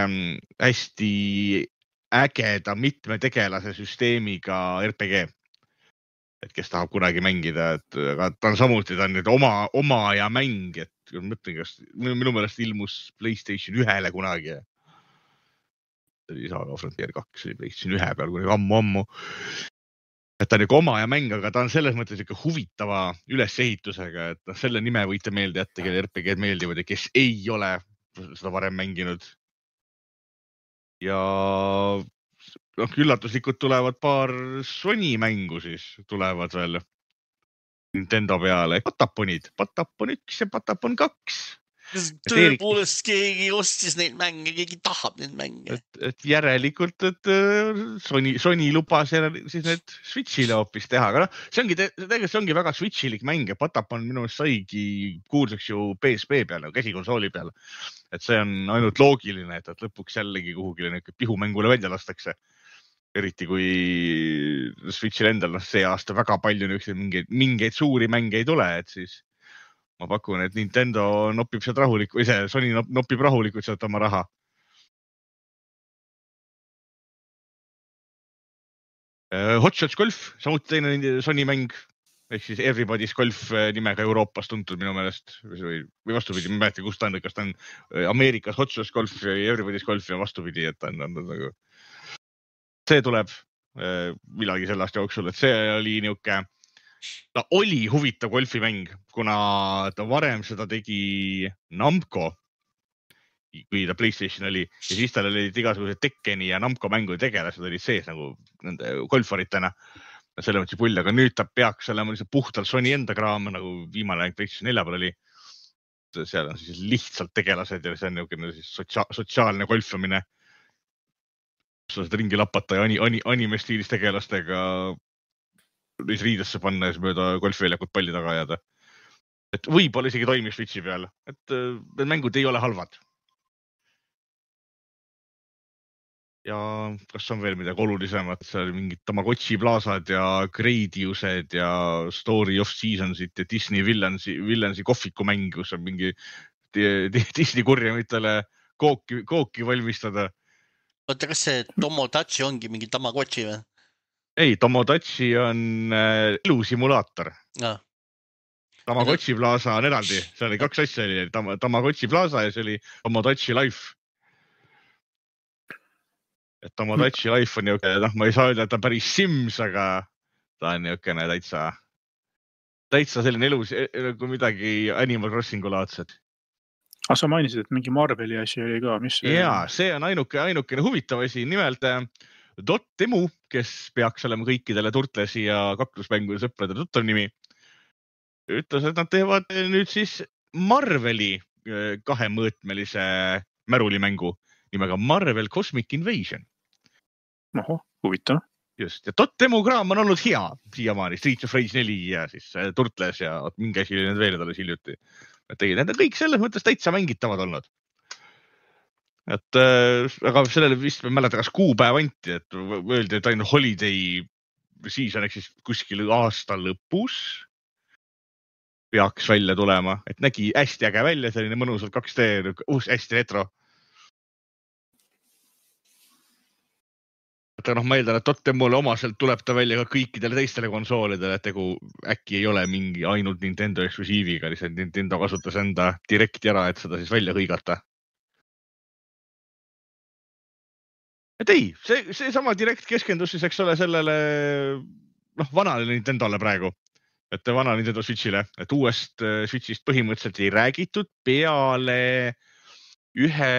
hästi ägeda mitme tegelase süsteemiga R P G. Et kes tahab kunagi mängida, et aga ta on samuti, ta on nüüd oma, oma ja mäng, et mõtlen, kas minu meelest ilmus PlayStation ühele kunagi. See oli Saga Frontier kaks, oli PlayStation ühe peal kunagi ammu-ammu. Et ta on niisugune oma ja mäng, aga ta on selles mõttes ikka huvitava ülesehitusega, et selle nime võite meelde jätta, kelle R P G-d meeldivad ja kes ei ole seda varem mänginud. Ja noh, üllatuslikult tulevad paar Sony mängu siis tulevad veel Nintendo peale. Pataponid, Patapon üks ja Patapon kaks. Tõepoolest keegi ostis neid mänge, keegi tahab neid mänge. Et, et järelikult, et Sony, Sony lubas siis need Switchile hoopis teha. Aga no, see ongi, tegelikult see ongi väga Switchilik mäng ja Patapon minu saigi kuulsaks ju P S P peale, käsikonsooli peale. Et see on ainult loogiline, et, et lõpuks jällegi kuhugile pihumängule välja lastakse. Eriti kui Switchil endal no, see aasta väga palju mingeid, mingeid suuri mänge ei tule, et siis ma pakun, et Nintendo nopib sealt rahulik, või see Sony nopib rahulikult sealt oma raha. Hot Shots Golf, samuti teine Sony mäng, ehk siis Everybody's Golf nimega Euroopas tuntud minu meelest, või, või vastupidi, ma mäleta, kus ta on, kas ta on Ameerikas Hot Shots Golf ja Everybody's Golf ja vastupidi, et ta on, on nagu... See tuleb millalgi selle aasta jooksul, et see oli niuke, ta oli huvitav golfimäng, kuna ta varem seda tegi Namco, kui ta PlayStation oli ja siis tal olid igasugused Tekkeni ja Namco mängu tegelased olid sees nagu nende golfaritena. Selle mõttes pull, aga nüüd ta peaks olema puhtalt Sony enda kraam, nagu viimane PlayStation nelja peal oli. Seal on siis lihtsalt tegelased ja see on niisugune siis sotsia sotsiaalne golfamine. Sa saad ringi lapata ja ani ani anime-stiilis tegelastega neis riidesse panna ja siis mööda golfiväljakut palli taga ajada. Et võib-olla isegi toimib Switchi peal, et need mängud ei ole halvad. Ja kas on veel midagi olulisemat, seal oli mingid Tamagotchi plaasad ja Gradiused ja Story of Seasonsit ja Disney Villansi, Villansi kohvikumäng, kus on mingi Disney kurjamitele kooki, kooki valmistada. Oota, kas see Tomodachi ongi mingi Tamagotchi või? Ei, Tomodachi on elusimulaator. Ja. Tamagotchi plaasa on eraldi, see oli kaks asja, oli Tam Tamagotchi plaasa ja see oli Tomodachi Life. Et Tomodachi Life on niuke, noh, ma ei saa öelda, et ta on päris Sims, aga ta on niukene täitsa, täitsa selline elus, kui midagi Animal Crossingu laadsed. Ah, sa mainisid, et mingi Marveli asi oli ka, mis? Jaa, see on ainuke, ainukene huvitav asi, nimelt Dotemu, kes peaks olema kõikidele Turtlesi ja kaklusmängude sõprade tuttav nimi, ütles, et nad teevad nüüd siis Marveli kahemõõtmelise märulimängu nimega Marvel Cosmic Invasion. Oho, huvitav. Just, ja Dotemu kraam on olnud hea siiamaani, Streets of Rage neli ja siis Turtles ja mingi asi oli need veel alles hiljuti. Tegid, need on kõik selles mõttes täitsa mängitavad olnud. Et, aga sellele vist me mäleta, kas kuupäev anti, et öeldi, et ainult holiday season ehk siis kuskil aasta lõpus peaks välja tulema, et nägi hästi äge välja, selline mõnusalt kaks D, uus hästi retro. Et noh, ma eeldan, et Dotemule omaselt tuleb ta välja ka kõikidele teistele konsoolidele, et tegu äkki ei ole mingi ainult Nintendo eksklusiiviga, lihtsalt Nintendo kasutas enda direkti ära, et seda siis välja hõigata. Et ei, see, see sama direkt keskendus siis, eks ole, sellele noh, vanale Nintendole praegu, et vana Nintendo Switchile, et uuest Switchist põhimõtteliselt ei räägitud peale ühe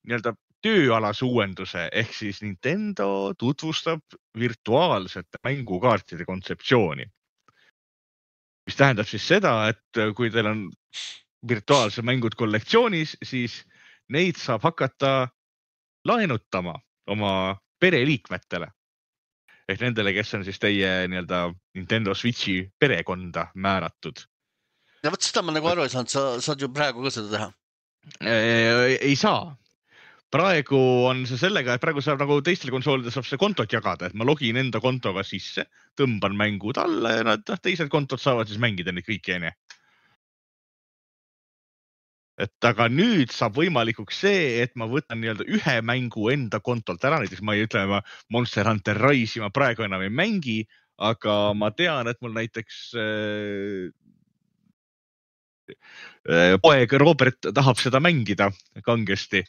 nii-öelda tööalase uuenduse, ehk siis Nintendo tutvustab virtuaalsete mängukaartide kontseptsiooni. Mis tähendab siis seda, et kui teil on virtuaalse mängud kollektsioonis, siis neid saab hakata laenutama oma pereliikmetele. Ehk nendele, kes on siis teie nii-öelda Nintendo Switchi perekonda määratud. Ja võt seda ma nagu aru ei saanud, sa saad ju praegu ka seda teha? Ei, ei saa. Praegu on see sellega, et praegu saab nagu teistel konsoolides saab see kontot jagada, et ma login enda kontoga sisse, tõmban mängud alla ja nad teised kontod saavad siis mängida neid kõiki enne. Et aga nüüd saab võimalikuks see, et ma võtan nii-öelda ühe mängu enda kontolt ära, näiteks ma ei ütle, ma Monster Hunter Rise'i ma praegu enam ei mängi, aga ma tean, et mul näiteks äh, poeg Robert tahab seda mängida kangesti.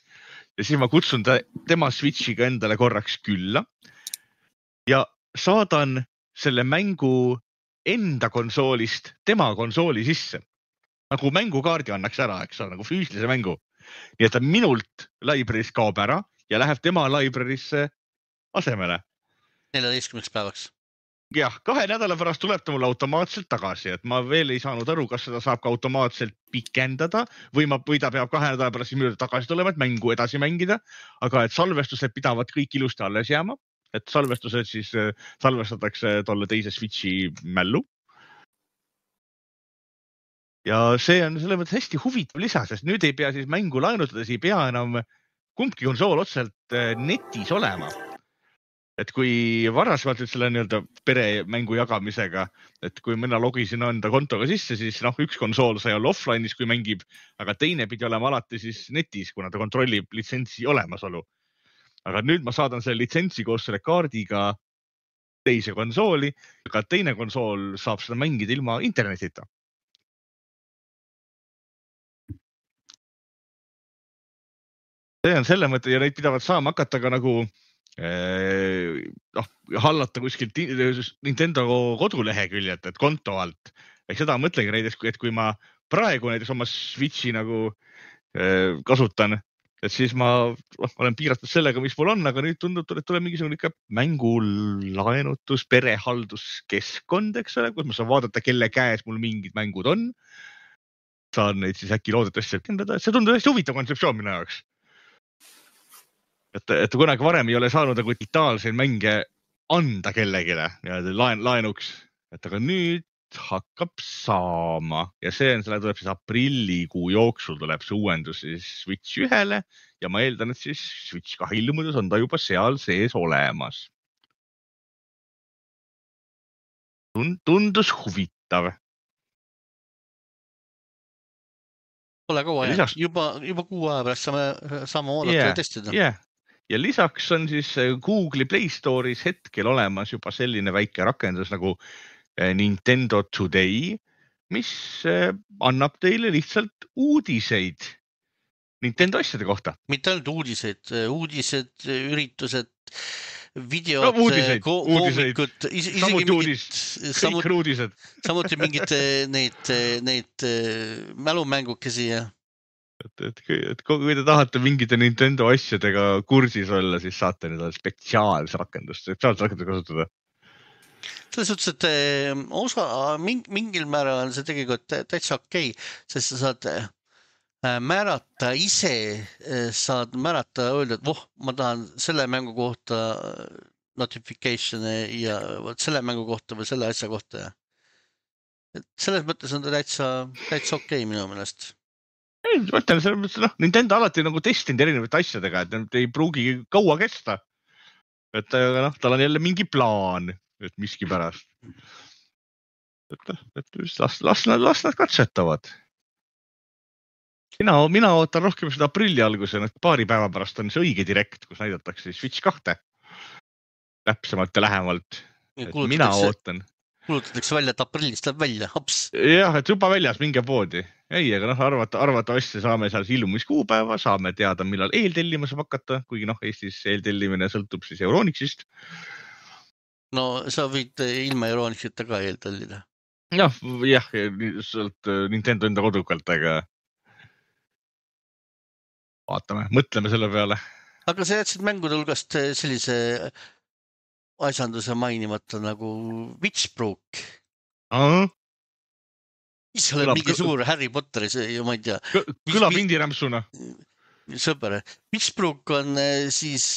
Ja siis ma kutsun ta, tema Switchiga endale korraks külla ja saadan selle mängu enda konsoolist tema konsooli sisse. Nagu mängukaardi annaks ära, eks ole, nagu füüsilise mängu. Nii et ta minult library's kaob ära ja läheb tema library'sse asemele. neljateistkümneks päevaks. Jah, kahe nädala pärast tuleb ta mulle automaatselt tagasi, et ma veel ei saanud aru, kas seda saab ka automaatselt pikendada või, ma, või ta peab kahe nädala pärast siis tagasi tulema, et mängu edasi mängida, aga et salvestused pidavad kõik ilusti alles jääma, et salvestused siis salvestatakse tolle teise Switchi mällu. Ja see on selle mõttes hästi huvitav lisa, sest nüüd ei pea siis mängu laenutades, ei pea enam kumbki konsool otseselt netis olema. Et kui varasemalt selle nii-öelda pere mängu jagamisega, et kui mina logisin enda kontoga sisse, siis noh, üks konsool sai olla offline'is, kui mängib, aga teine pidi olema alati siis netis, kuna ta kontrollib litsentsi olemasolu. Aga nüüd ma saadan selle litsentsi koos selle kaardiga teise konsooli, aga teine konsool saab seda mängida ilma internetita. See on selle mõte ja neid pidavad saama hakata ka nagu noh, hallata kuskilt Nintendo koduleheküljelt, et konto alt. Ehk seda mõtlegi näiteks, et kui ma praegu näiteks oma Switchi nagu kasutan, et siis ma olen piiratud sellega, mis mul on, aga nüüd tundub, et tuleb mingisugune ikka mängulaenutus, perehalduskeskkond, eks ole, kus ma saan vaadata, kelle käes mul mingid mängud on. Saan neid siis äkki loodetavasti kindlada, et see tundub hästi huvitav kontseptsioon minu jaoks. Et, et kunagi varem ei ole saanud nagu digitaalseid mänge anda kellegile laen, laenuks, et aga nüüd hakkab saama ja see on, selle tuleb siis aprillikuu jooksul tuleb see uuendus siis Switch ühele ja ma eeldan, et siis Switch kahe ilmudes on ta juba seal sees olemas. Tundus huvitav. Pole kaua jäänud, juba, juba kuu aja pärast saame, saame oodata yeah, ja testida. Yeah. Ja lisaks on siis Google'i Play Store'is hetkel olemas juba selline väike rakendus nagu Nintendo Today, mis annab teile lihtsalt uudiseid Nintendo asjade kohta. Mitte ainult uudiseid, uudised, üritused, videod, no, uudiseid, koomikud, isegi samuti uudis, kõik uudised. Samuti mingid neid, neid mälumängukesi ja et, et, et kui te tahate mingite Nintendo asjadega kursis olla, siis saate nüüd spetsiaalse rakendust, spetsiaalse rakendust kasutada. Selles suhtes, et osa, mingil määral on see tegelikult täitsa okei, sest sa saad määrata ise, saad määrata öelda, et voh, ma tahan selle mängu kohta notification ja selle mängu kohta või selle asja kohta. Et selles mõttes on ta täitsa, täitsa okei minu meelest. Ei, mõtlen, selles mõttes, noh, Nintendo alati nagu testinud erinevate asjadega, et need ei pruugi kaua kesta. Et noh, tal on jälle mingi plaan. Et miski pärast. Et, et las, las, las nad katsetavad. Mina, mina ootan rohkem seda aprilli alguse, et paari päeva pärast on see õige direkt, kus näidatakse Switch kahte. Täpsemalt ja lähemalt. Et mina ootan. Kulutatakse välja, et aprillist läheb välja. Hops. Jah, et juba väljas minge poodi. Ei, aga noh, arvata, arvata asja saame seal ilmumiskuupäeva, saame teada, millal eeltellima saab hakata, kuigi noh, Eestis eeltellimine sõltub siis Euronixist. No sa võid ilma Euronixita ka eeltellida. Jah, jah, sealt Nintendo enda kodukalt, aga vaatame, mõtleme selle peale. Aga sa jätsid mängude hulgast sellise asjanduse mainimata nagu Witchbrook. Aha. Mis oled mingi suur Harry Potteri, ma ei tea. Kõlab indirämpsuna. Sõber. Witchbrook on siis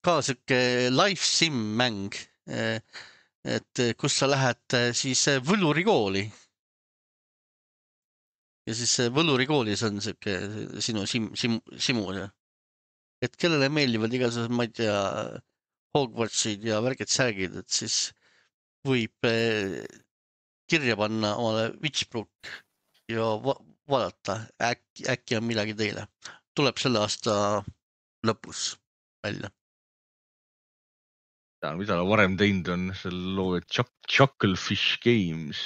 ka sõke life sim mäng, et kus sa lähed siis võlurikooli. Ja siis võlurikoolis on sõke sinu sim, sim, simu. Et kellele meeldivad igasugused, ma ei tea, Hogwartsid ja värged särgid, et siis võib kirja panna omale Witchbrook ja va vaadata, äkki, äkki on midagi teile. Tuleb selle aasta lõpus välja. Ja, mida ta varem teinud on, selle loo Chucklefish Games.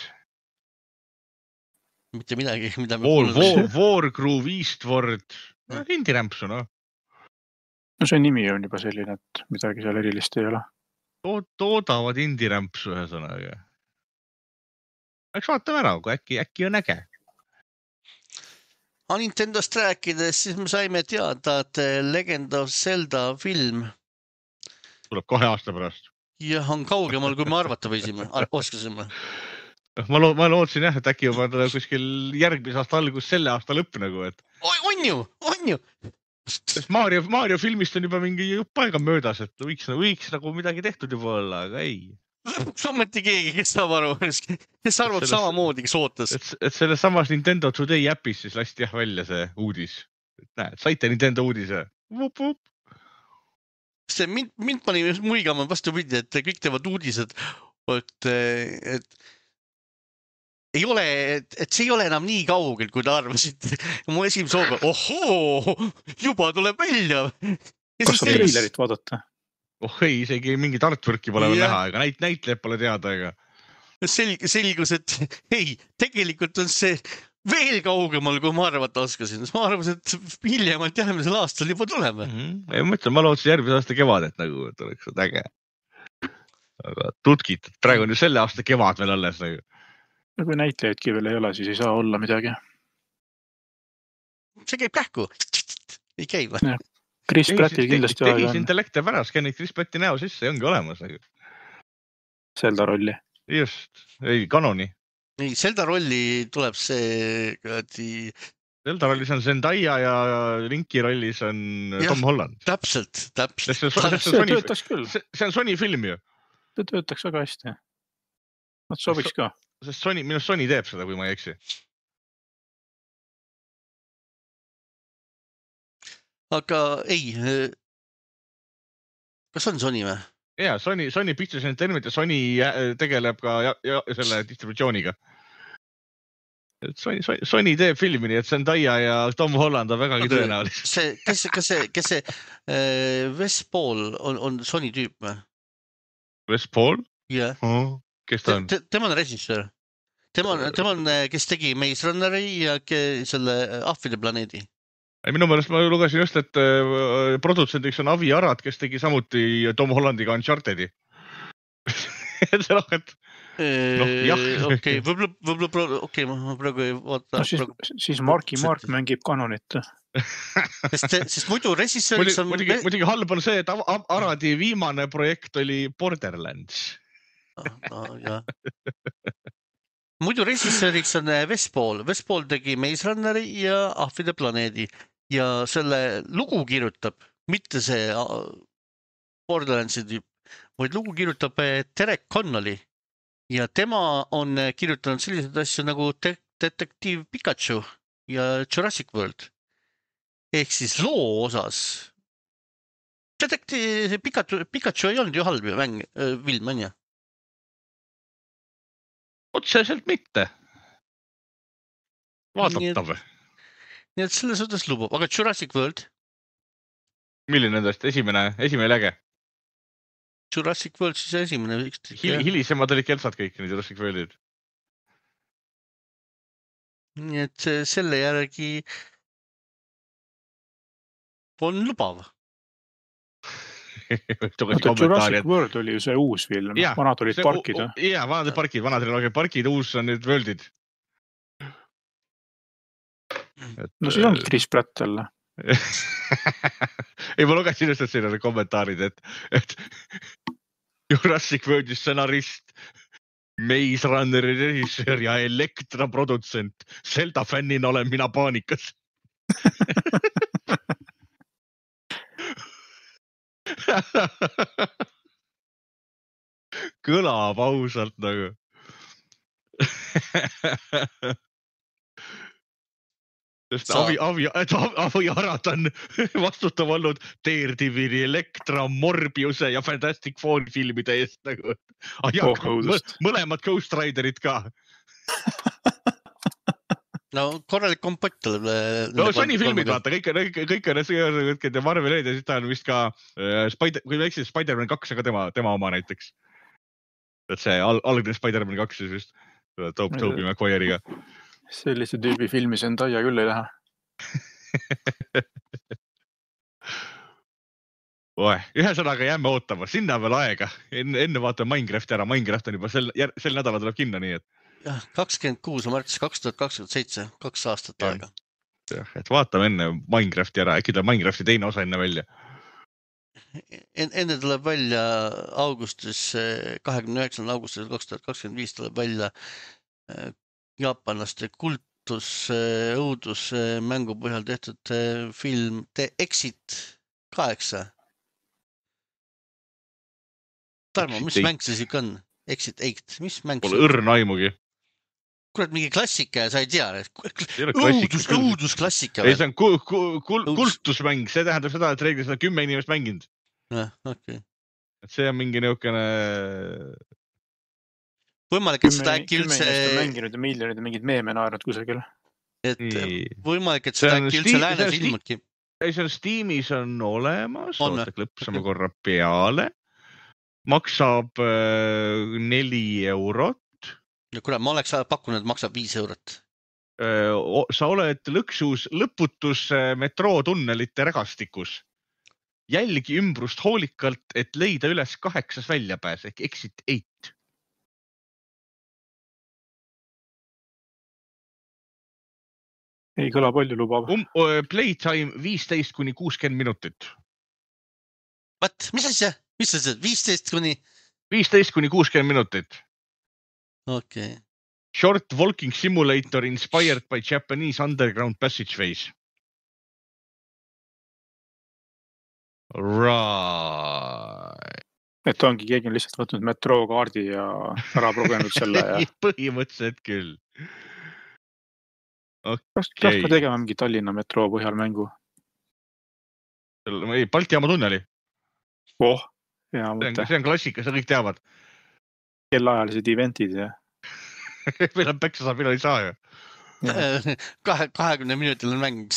Mitte midagi, mida me War, War, Wargroove Eastward, no, indirämpsu, no. No see nimi on juba selline, et midagi seal erilist ei ole. Toodavad indirämpsu ühe sõnaga. Eks vaatame ära, kui äkki, äkki on äge. A Nintendost rääkides, siis me saime teada, et Legend of Zelda film tuleb kahe aasta pärast. Jah, on kaugemal, kui me arvata võisime, oskasime. Ma, lo ma lootsin jah, et äkki juba kuskil järgmise aasta algus selle aasta lõpp nagu, et... On ju, on ju! Sest Mario, Mario filmist on juba mingi jupp aega möödas, et võiks, võiks nagu midagi tehtud juba olla, aga ei. Sammeti keegi, kes saab aru, kes arvab samamoodi, kes ootas. Et, et selles samas Nintendo Today appis siis lasti jah välja see uudis. Et näed, saite Nintendo uudise. Vup, vup. See mind, mind pani muigama vastu pidi, et kõik teevad uudised, et, et ei ole, et, et see ei ole enam nii kaugel, kui ta arvasid. Mu esimese hooga, ohoo, juba tuleb välja. Kas on trailerit vaadata? Oh ei, isegi mingit artworki pole veel näha, ega näit, näitlejad pole teada. Ega. Selg, selgus, et ei, tegelikult on see veel kaugemal, kui ma arvata oskasin. Ma arvasin, et hiljemalt järgmisel aastal juba tuleme. Mm-hmm. Ei mõtle, ma lootsin järgmise aasta kevadet nagu, et oleks äge. Aga tutkid, praegu on ju selle aasta kevad veel alles nagu. No kui näitlejaidki veel ei ole, siis ei saa olla midagi. See käib kähku. Ei käi või? Chris Prattil kindlasti aega on. Tehisintellekt jääb ära, skennid Chris Pratti näo sisse ja ongi olemas nagu. Zelda rolli. Just, ei, kanoni. Ei, Zelda rolli tuleb see kõdi... Zelda rollis on Zendaya ja Linki rollis on ja, Tom Holland. Täpselt, täpselt. See, see, see, see töötaks küll. See, see on Sony film ju. See töötaks väga hästi. Nad sobiks ka. Sest Sony, minu Sony teeb seda, kui ma ei eksi. Aga ei, kas on Sony või? Jaa, Sony, Sony Pictures Entertainment ja Sony tegeleb ka ja, ja, selle distributsiooniga. Sony, Sony, Sony teeb filmi, nii et Zendaya ja Tom Holland on vägagi okay. Tõenäoliselt. See, kes, kas see, kes see äh, Wes Paul on, on Sony tüüp või? Wes Paul? Jah. Yeah. Oh, kes ta on? Te, tema on režissöör. Tema on, tema on, kes tegi Maze Runneri ja ke, selle Ahvide planeedi. Minu meelest ma lugesin just, et äh, produtsendiks on Avi Arad, kes tegi samuti Tom Hollandiga Unchartedi. et see noh, et no, jah. Okei, võib-olla, võib-olla, okei, ma praegu ei vaata. No, siis, praegu... siis Marki Mark mängib kanonit. sest, sest muidu režissööriks on... Muidugi, muidugi halb on see, et Aradi viimane projekt oli Borderlands. ah, ah, jah. Muidu režissööriks on Wes Paul. Wes Paul tegi Maze Runneri ja Ahvide planeedi. Ja selle lugu kirjutab, mitte see Borderlandsi tüüp, vaid lugu kirjutab Derek Connolly. Ja tema on kirjutanud sellised asju nagu de- Detektiiv Pikachu ja Jurassic World. Ehk siis loo osas. Detektiiv Pikachu, Pikachu ei olnud ju halb ju mäng, film, on ju? Otseselt mitte. Vaadatav. Nii et selle suhtes lubab. Aga Jurassic World? Milline nendest? Esimene, esimene läge? Jurassic World siis esimene. Hil, hilisemad olid keltsad kõik need Jurassic Worldid. Nii et selle järgi on lubav. Jurassic World oli ju see uus film. Ja, vanad olid see, parkid. Jaa, vanad olid parkid. Vanad olid parkid, uus on nüüd Worldid. Et, no siis ongi Chris Pratt jälle. ei, ma lugesin just, et siin on kommentaarid, et, et Jurassic Worldi stsenarist, Maze Runneri režissöör ja Elektra produtsent. Zelda fännina olen mina paanikas. Kõlab ausalt nagu. Sest Sa... Avi, Avi, Avi Arad on vastutav olnud Daredevili, Elektra, Morbiuse ja Fantastic Four filmide eest nagu. Ah, ja, oh, mõlemad Ghost Riderid ka. No korralik kompakt tuleb. No Sony filmid vaata, kõik, kõik, kõik on see Marvel eed ja siis ta on vist ka äh, Spider, kui me eksid, Spider-Man kaks, aga tema, tema oma näiteks. Et see al, algne Spider-Man kaks siis vist Toob Toobi McQuarrie'iga. Sellise tüübi filmi Zendaya küll ei lähe. Oe, ühe sõnaga jääme ootama, sinna veel aega. Enne, enne vaatame Minecrafti ära, Minecraft on juba sel, sel nädala tuleb kinno, nii et. Jah, kakskümmend kuus märts kaks tuhat kakskümmend seitse, kaks aastat ja. Aega. Jah, et vaatame enne Minecrafti ära, äkki tuleb Minecrafti teine osa enne välja. Enne tuleb välja augustis, kahekümne üheksandal augustis kaks tuhat kakskümmend viis tuleb välja jaapanlaste kultus õudus mängu põhjal tehtud film The Exit kaheksa. Tarmo, mis mäng see siuke on? Exit eight, mis mäng see on? Pole õrn aimugi. Kurat, mingi klassika ja sa ei tea. Õudus, õudus klassika. Ei, see on ku, ku, kul, kultusmäng, see tähendab seda, et reeglis on kümme inimest mänginud. Ja, okay. Et see on mingi niukene... Võimalik, et seda äkki üldse... Kümme inimest on mänginud ja miljonid ja mingid meeme naernud kusagil. Et võimalik, et seda äkki üldse läänes ilmudki. Ei, see on Steamis on olemas, oota klõpsame korra peale. Maksab äh, neli eurot. Ja kuule, ma oleks pakkunud, et maksab viis eurot. sa oled lõksus lõputus metrootunnelite rägastikus. Jälgi ümbrust hoolikalt, et leida üles kaheksas väljapääs ehk exit eight. Ei kõla palju lubav. Um, playtime viisteist kuni kuuskümmend minutit. What? Mis asja? Mis asja? viisteist kuni? viisteist kuni kuuskümmend minutit. Okei. Okay. Short walking simulator inspired by Japanese underground passageways. Right. Et ongi keegi on lihtsalt võtnud metrookaardi ja ära progenud selle. Ja... Põhimõtteliselt küll. Okay. Kas peaks ka tegema mingi Tallinna metroo põhjal mängu? Ei, Balti jaama tunneli. Oh, hea mõte. See on klassika, seda kõik teavad. Kellaajalised eventid ja... meil on päksa saab, meil ei saa ju. kahekümne minutiline mäng.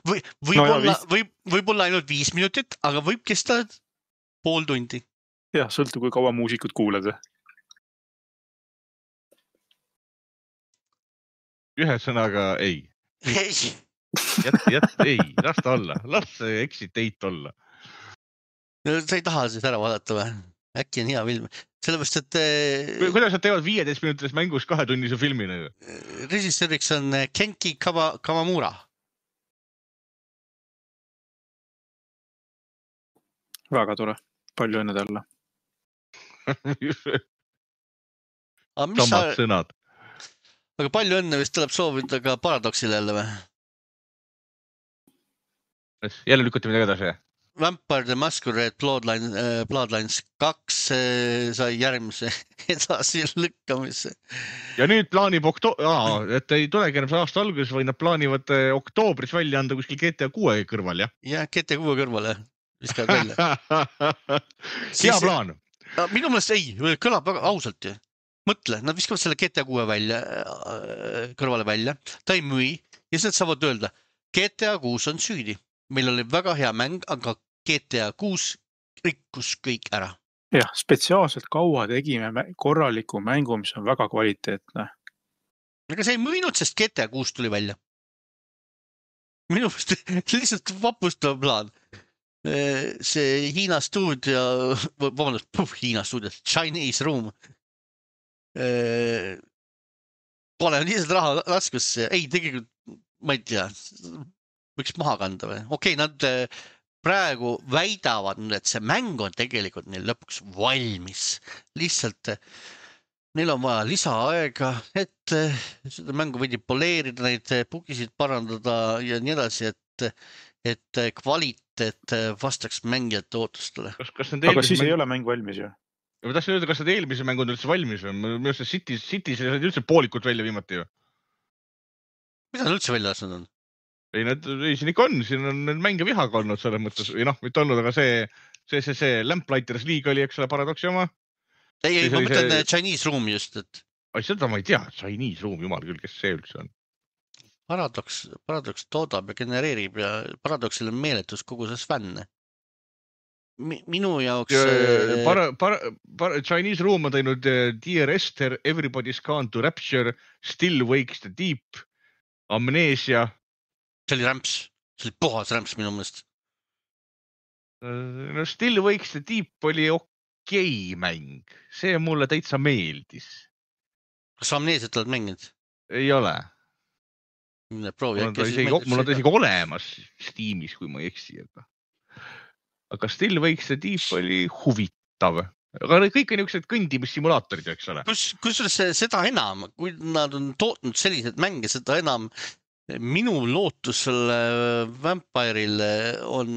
Või, võib-olla, no võib, võib-olla ainult viis minutit, aga võib kesta pool tundi. Jah, sõltu kui kaua muusikud kuulad. Ühe sõnaga ei. Ei. Jät, jät, ei, las ta olla. Las see exit eight olla. No, sa ei taha siis ära vaadata või? Äkki on hea film. Sellepärast, et... Kuidas nad teevad viieteist minutilis mängus kahe tunnise filmina? Režissööriks on Kenki Kawamura. Väga tore. Palju õnne talle. Samad sa... sõnad. Aga palju õnne vist tuleb soovida ka Paradoxile jälle või? Jälle lükati midagi edasi? Vampire the Masquerade Bloodline, äh, Bloodlines kaks äh, sai järgmise edasi lükkamisse. Ja nüüd plaanib okto... Aa, et ei tulegi enam aasta alguses, või nad plaanivad oktoobris välja anda kuskil G T A kuue kõrval, jah? Jah, G T A kuue kõrval, jah. Viskavad välja. Hea plaan. Minu mõelest ei, kõlab väga ausalt ju. Mõtle, nad viskavad selle G T A kuue välja, kõrvale välja. Ta ei müü ja siis nad saavad öelda, G T A kuus on süüdi. Meil oli väga hea mäng, aga G T A kuus rikkus kõik ära. Jah, spetsiaalselt kaua tegime korraliku mängu, mis on väga kvaliteetne. Aga see ei müünud, sest G T A kuus tuli välja. Minu mõelest lihtsalt vapustav plaan. See Hiina stuudio, vabandust, puh, Hiina stuudio, Chinese Room. Pole lihtsalt raha laskusse. Ei, tegelikult, ma ei tea, võiks maha kanda või? Okei, nad praegu väidavad, et see mäng on tegelikult neil lõpuks valmis. Lihtsalt neil on vaja lisaaega, et seda mängu võidi poleerida, neid bugisid parandada ja nii edasi, et, et kvaliteet vastaks mängijate ootustele. Kas, kas aga siis mäng... ei ole mäng valmis ju? Ma tahtsin öelda, kas need eelmise mäng on üldse valmis või? Minu see Cities, Cities ei üldse poolikult välja viimati ju. Mida nad üldse välja lasnud on? Ei, need, ei, siin ikka on, siin on need mänge vihaga olnud selles mõttes, või noh, mitte olnud, aga see, see, see, see Lamplighters League oli, eks ole, Paradoxi oma. Ei, ei, ma mõtlen see... Chinese Room just, et... Ai, seda ma ei tea, Chinese Room, jumal küll, kes see üldse on. Paradox, Paradox toodab ja genereerib ja Paradoxil on meeletus kogu see fänne. Minu jaoks... Ja, para, para, para, Chinese Room on teinud Dear Esther, Everybody's Gone to Rapture, Still Wakes the Deep, Amnesia. See oli rämps, see oli puhas rämps minu mõelest. No Still Wakes the Deep oli okei mäng, see mulle täitsa meeldis. Kas Amnesiat oled mänginud? Ei ole. Proovi, mul on ta isegi, mul on ta isegi olemas Steamis, kui ma ei eksi. Aga, aga Still Wakes the Deep oli huvitav. Aga kõik on niisugused kõndimissimulaatorid, eks ole. Kus, kus seda enam, kui nad on tootnud sellised mänge, seda enam minu lootus selle Vampire'il on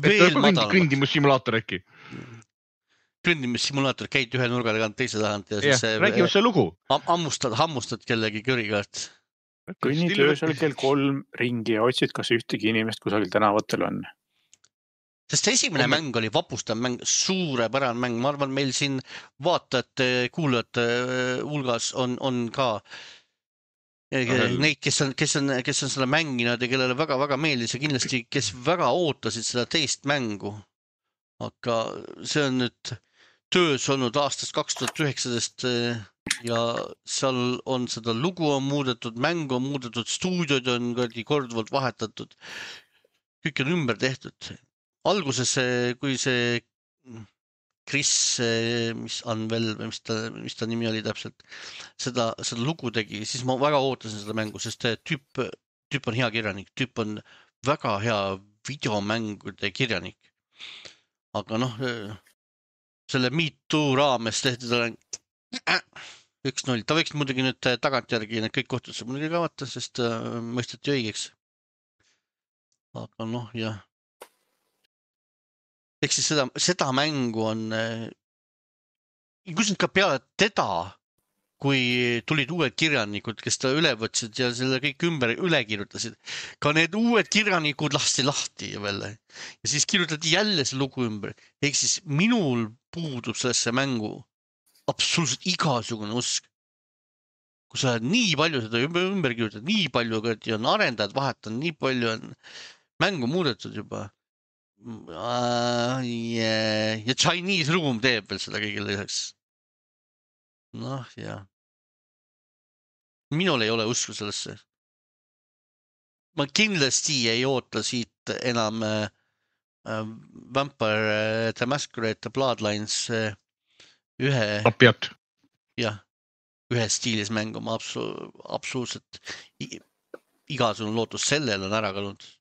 veel madalamad. Kõndimissimulaator äkki? Kõndimissimulaator, käid ühe nurga tagant teise tahant ja siis ja, räägime see lugu. Hammustad, hammustad kellegi kõrigaart. Kõnnid öösel kell kolm ringi ja otsid, kas ühtegi inimest kusagil tänavatel on. Sest esimene Komme... mäng oli vapustav mäng, suurepärane mäng. Ma arvan, meil siin vaatajate, kuulajate hulgas on, on ka Ahel. Neid, kes on, kes, on, kes on seda mänginud ja kellele väga-väga meeldis ja kindlasti, kes väga ootasid seda teist mängu. Aga see on nüüd töös olnud aastast kaks tuhat üheksateist ja seal on seda lugu on muudetud, mängu on muudetud, stuudiod on korduvalt vahetatud. Kõik on ümber tehtud. Alguses, kui see Chris, mis Anvel, mis ta, mis ta nimi oli täpselt, seda, seda lugu tegi, siis ma väga ootasin seda mängu, sest tüüp, tüüp on hea kirjanik, tüüp on väga hea videomängude kirjanik. Aga noh, selle Me Too raames tehti talle üks null. Ta võiks muidugi nüüd tagantjärgi need kõik kohtusse muidugi kavata, sest mõisteti õigeks. Aga noh, jah. Ehk siis seda, seda mängu on, kus nüüd ka peale teda, kui tulid uued kirjanikud, kes ta üle võtsid ja selle kõik ümber üle kirjutasid, ka need uued kirjanikud lasti lahti veel. Ja siis kirjutati jälle see lugu ümber. Ehk siis minul puudub sellesse mängu absoluutselt igasugune usk. Kui sa oled nii palju seda ümber, ümber kirjutad, nii palju on arendajad vahetanud, nii palju on mängu muudetud juba. Uh, yeah. Ja Chinese Room teeb veel seda kõigile lisaks. Noh, jah. Minul ei ole usku sellesse. Ma kindlasti ei oota siit enam äh, Vampire The Masquerade Bloodlines äh, ühe... Tapiat. Jah, ühe stiilis mängu. Ma absu, absoluutselt igasugune lootus sellel on ära kalunud.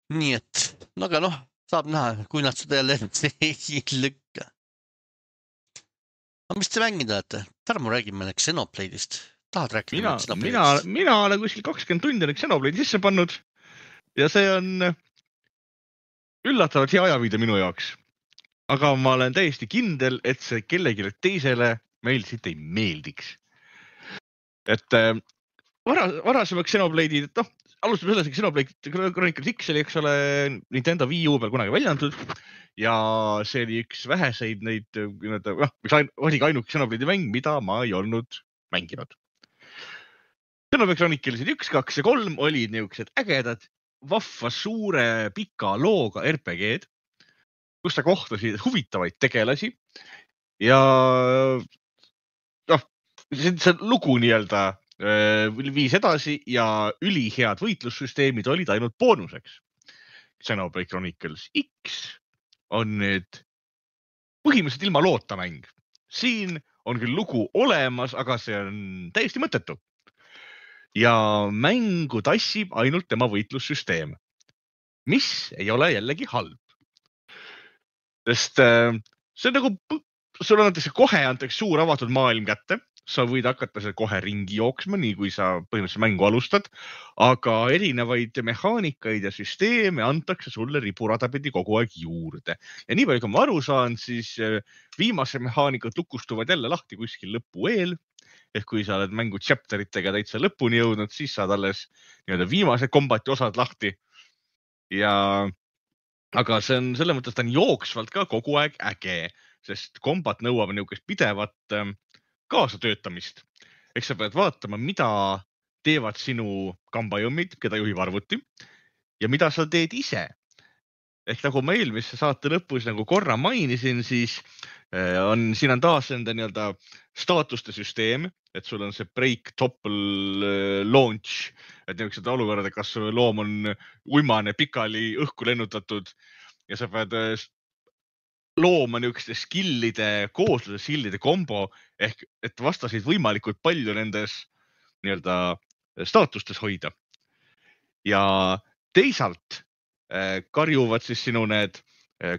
Nii et, no aga noh, saab näha, kui nad seda jälle ei lükka. Aga mis te mängida olete? Tarmo räägib meile Xenoblade'ist. Tahad rääkida? Mina, mina, mina olen kuskil kakskümmend tundi on Xenoblade'i sisse pannud ja see on üllatavalt hea ajaviide minu jaoks. Aga ma olen täiesti kindel, et see kellegile teisele meil siit ei meeldiks. Et äh, vara, varasemaks Xenoblade'id, et noh, alustame selles, et Xenoblade Chronicles X oli, eks ole, Nintendo Wii U peal kunagi välja antud ja see oli üks väheseid neid, noh, mis oli ka ainuke Xenoblade'i mäng, mida ma ei olnud mänginud. Xenoblade Chronicles üks, kaks ja kolm olid niisugused ägedad, vahva suure pika looga R P G-d, kus sa kohtasid huvitavaid tegelasi ja noh, see, see lugu nii-öelda viis edasi ja ülihead võitlussüsteemid olid ainult boonuseks. Xenoblade Chronicles X on nüüd põhimõtteliselt ilma loota mäng. Siin on küll lugu olemas, aga see on täiesti mõttetu. Ja mängu tassib ainult tema võitlussüsteem, mis ei ole jällegi halb. Sest see on nagu, sul antakse kohe antakse suur avatud maailm kätte. Sa võid hakata seal kohe ringi jooksma, nii kui sa põhimõtteliselt mängu alustad, aga erinevaid mehaanikaid ja süsteeme antakse sulle riburadapidi kogu aeg juurde. Ja nii palju, kui ma aru saan, siis viimase mehaanikud lukustuvad jälle lahti kuskil lõpu eel. Ehk kui sa oled mängu chapteritega täitsa lõpuni jõudnud, siis saad alles nii-öelda viimase kombati osad lahti. Ja, aga see on selle mõttes, ta on jooksvalt ka kogu aeg äge, sest kombat nõuab niisugust pidevat kaasatöötamist. Eks sa pead vaatama, mida teevad sinu kambajõmmid, keda juhib arvuti ja mida sa teed ise. Ehk nagu ma eelmise saate lõpus nagu korra mainisin, siis on, siin on taas enda nii-öelda staatuste süsteem, et sul on see break, topple, launch, et niisugused olukorrad, kas loom on uimane, pikali õhku lennutatud ja sa pead looma niisuguste skillide koosluse, skillide kombo, ehk et vastasid võimalikult palju nendes nii-öelda staatustes hoida. Ja teisalt karjuvad siis sinu need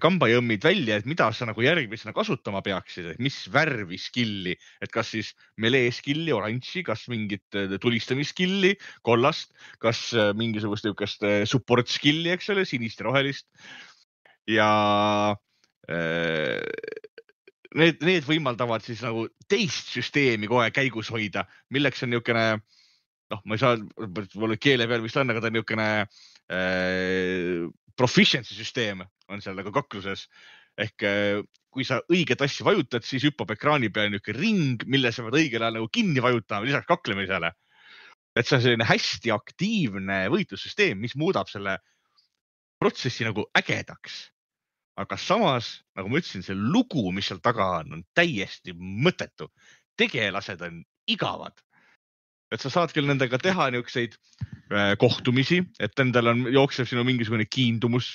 kambajõmmid välja, et mida sa nagu järgmisena kasutama peaksid, et mis värvi skilli, et kas siis melee skilli, oranži, kas mingit tulistamiskilli, kollast, kas mingisugust niisugust support skilli, eks ole, sinist ja rohelist. Ja Need, need võimaldavad siis nagu teist süsteemi kohe käigus hoida, milleks on niisugune, noh, ma ei saa, mul keele peal vist on, aga ta on niisugune äh, proficiency süsteem on seal nagu kakluses. Ehk äh, kui sa õiget asja vajutad, siis hüppab ekraani peal niisugune ring, mille sa pead õigel ajal nagu kinni vajutama, lisaks kaklemisele. Et see on selline hästi aktiivne võitlussüsteem, mis muudab selle protsessi nagu ägedaks. Aga samas, nagu ma ütlesin, see lugu, mis seal taga on, on täiesti mõttetu. Tegelased on igavad. Et sa saad küll nendega teha niisuguseid kohtumisi, et endal on, jookseb sinu mingisugune kiindumus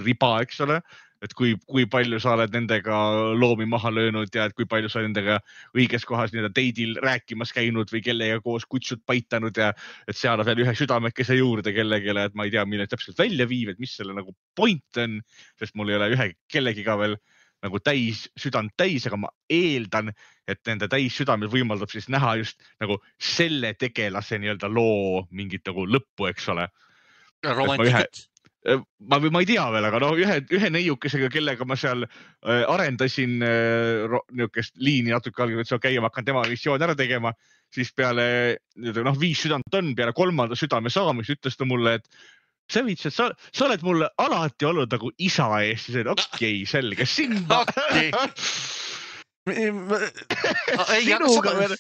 riba, eks ole, et kui, kui palju sa oled nendega loomi maha löönud ja et kui palju sa nendega õiges kohas nii-öelda teidil rääkimas käinud või kellega koos kutsud paitanud ja et seal on veel ühe südamekese juurde kellegele, et ma ei tea, mille täpselt välja viib, et mis selle nagu point on, sest mul ei ole ühe kellegiga veel nagu täis, südant täis, aga ma eeldan, et nende täis südamed võimaldab siis näha just nagu selle tegelase nii-öelda loo mingit nagu lõppu, eks ole. Romantikat. Ma, ma ei tea veel, aga no ühe, ühe neiukesega, kellega ma seal äh, arendasin äh, niisugust liini natuke algab, et see on käima hakkan tema missioon ära tegema, siis peale no, viis südant on, peale kolmanda südame saamist ütles ta mulle, et sa viits, et sa, sa oled mulle alati olnud nagu isa eest, siis okei, okay, selge, sinna. Okay. sinuga, me,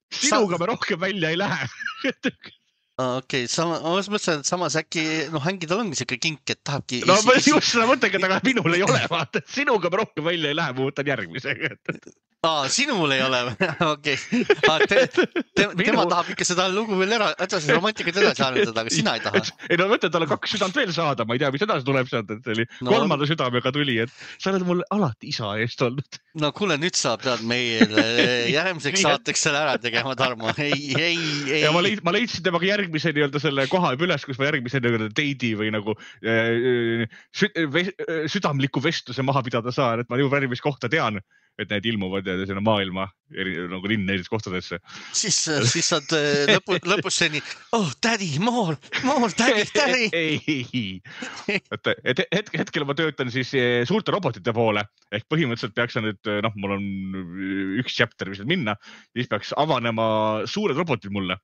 sinuga me rohkem välja ei lähe. Okei, okay, sama, ma mõtlen, et samas äkki, noh, hängi tal ongi siuke kink, et tahabki... No ma just seda mõtlengi, aga minul ei ole, vaata, et sinuga me rohkem välja ei lähe, ma võtan järgmisega. Aa, sinul ei ole, okei. Okay. Te, te, Minu... Tema tahab ikka seda lugu veel ära, edasi romantikat edasi arendada, aga sina ei taha. Ei no mõtlen, tal on kaks südant veel saada, ma ei tea, mis edasi tuleb sealt, et see oli no, kolmanda südamega tuli, et sa oled mulle alati isa eest olnud. No kuule, nüüd saab tead meil järgmiseks saateks selle ära tegema, Tarmo. Ei, ei, ei. Ja ma, leid, ma leidsin temaga järgmise nii-öelda selle koha üles, kus ma järgmise nii-öelda teidi või nagu äh, sü, südamliku vestluse maha pidada saan, et ma juba järgmist kohta tean, et need ilmuvad ja sinna maailma eri, nagu linn neis kohtadesse. Siis, siis saad lõpu, lõpus seni, oh, daddy, more, more, daddy, daddy. Ei, et, et hetk, hetkel ma töötan siis suurte robotite poole, ehk põhimõtteliselt peaks nüüd, noh, mul on üks chapter, mis minna, siis peaks avanema suured robotid mulle.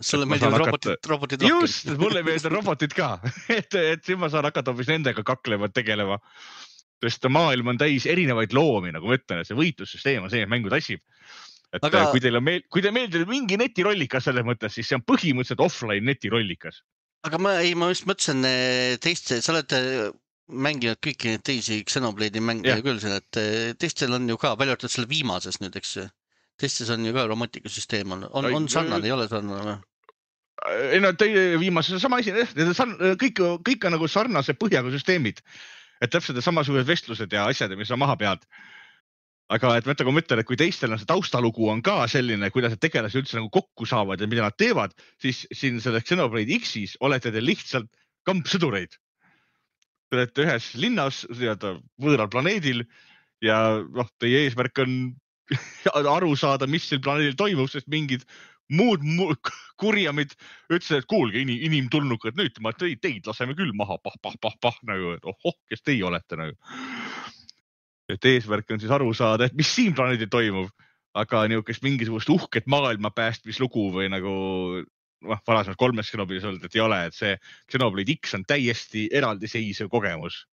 Sulle meeldivad robotid, hakata... robotid rohkem. Just, mulle meeldivad robotid ka, et, et siin ma saan hakata hoopis nendega kaklema, tegelema. Sest maailm on täis erinevaid loomi, nagu ma ütlen, et see võitlussüsteem on see, et mängu tassib. Et aga... kui teil on meel... kui teil meeldib mingi netirollikas selles mõttes, siis see on põhimõtteliselt offline netirollikas. Aga ma, ei, ma just mõtlesin teiste, sa oled mänginud kõiki neid teisi Xenoblade'i mänge ja. Küll, et teistel on ju ka, välja arvatud selle viimases nüüd, eks teistes on ju ka romantikasüsteem on, on, on sarnane, ei ole sarnane? Ei no, teie viimases on sama asi, kõik, kõik on nagu sarnase põhjaga süsteemid. Et täpselt samasugused vestlused ja asjad, mis on maha pead. Aga et mõtle, kui ma ütlen, et kui teistel on see taustalugu on ka selline, kuidas need tegelased üldse nagu kokku saavad ja mida nad teevad, siis siin selles Xenoblade X-is olete te lihtsalt kampsõdureid. Te olete ühes linnas, võõral planeedil ja noh, teie eesmärk on aru saada, mis seal planeedil toimub, sest mingid muud, muud kurjamid ütlesid, et kuulge, inim, inimtulnukad, nüüd ma teid, teid laseme küll maha, pah, pah, pah, pah, nagu, et ohoh, kes teie olete nagu. Et eesmärk on siis aru saada, et mis siin planeedil toimub, aga niisugust mingisugust uhket maailma päästmislugu või nagu noh, varasemalt kolmes Xenoblade'is olnud, et ei ole, et see Xenoblade X on täiesti eraldiseisev kogemus.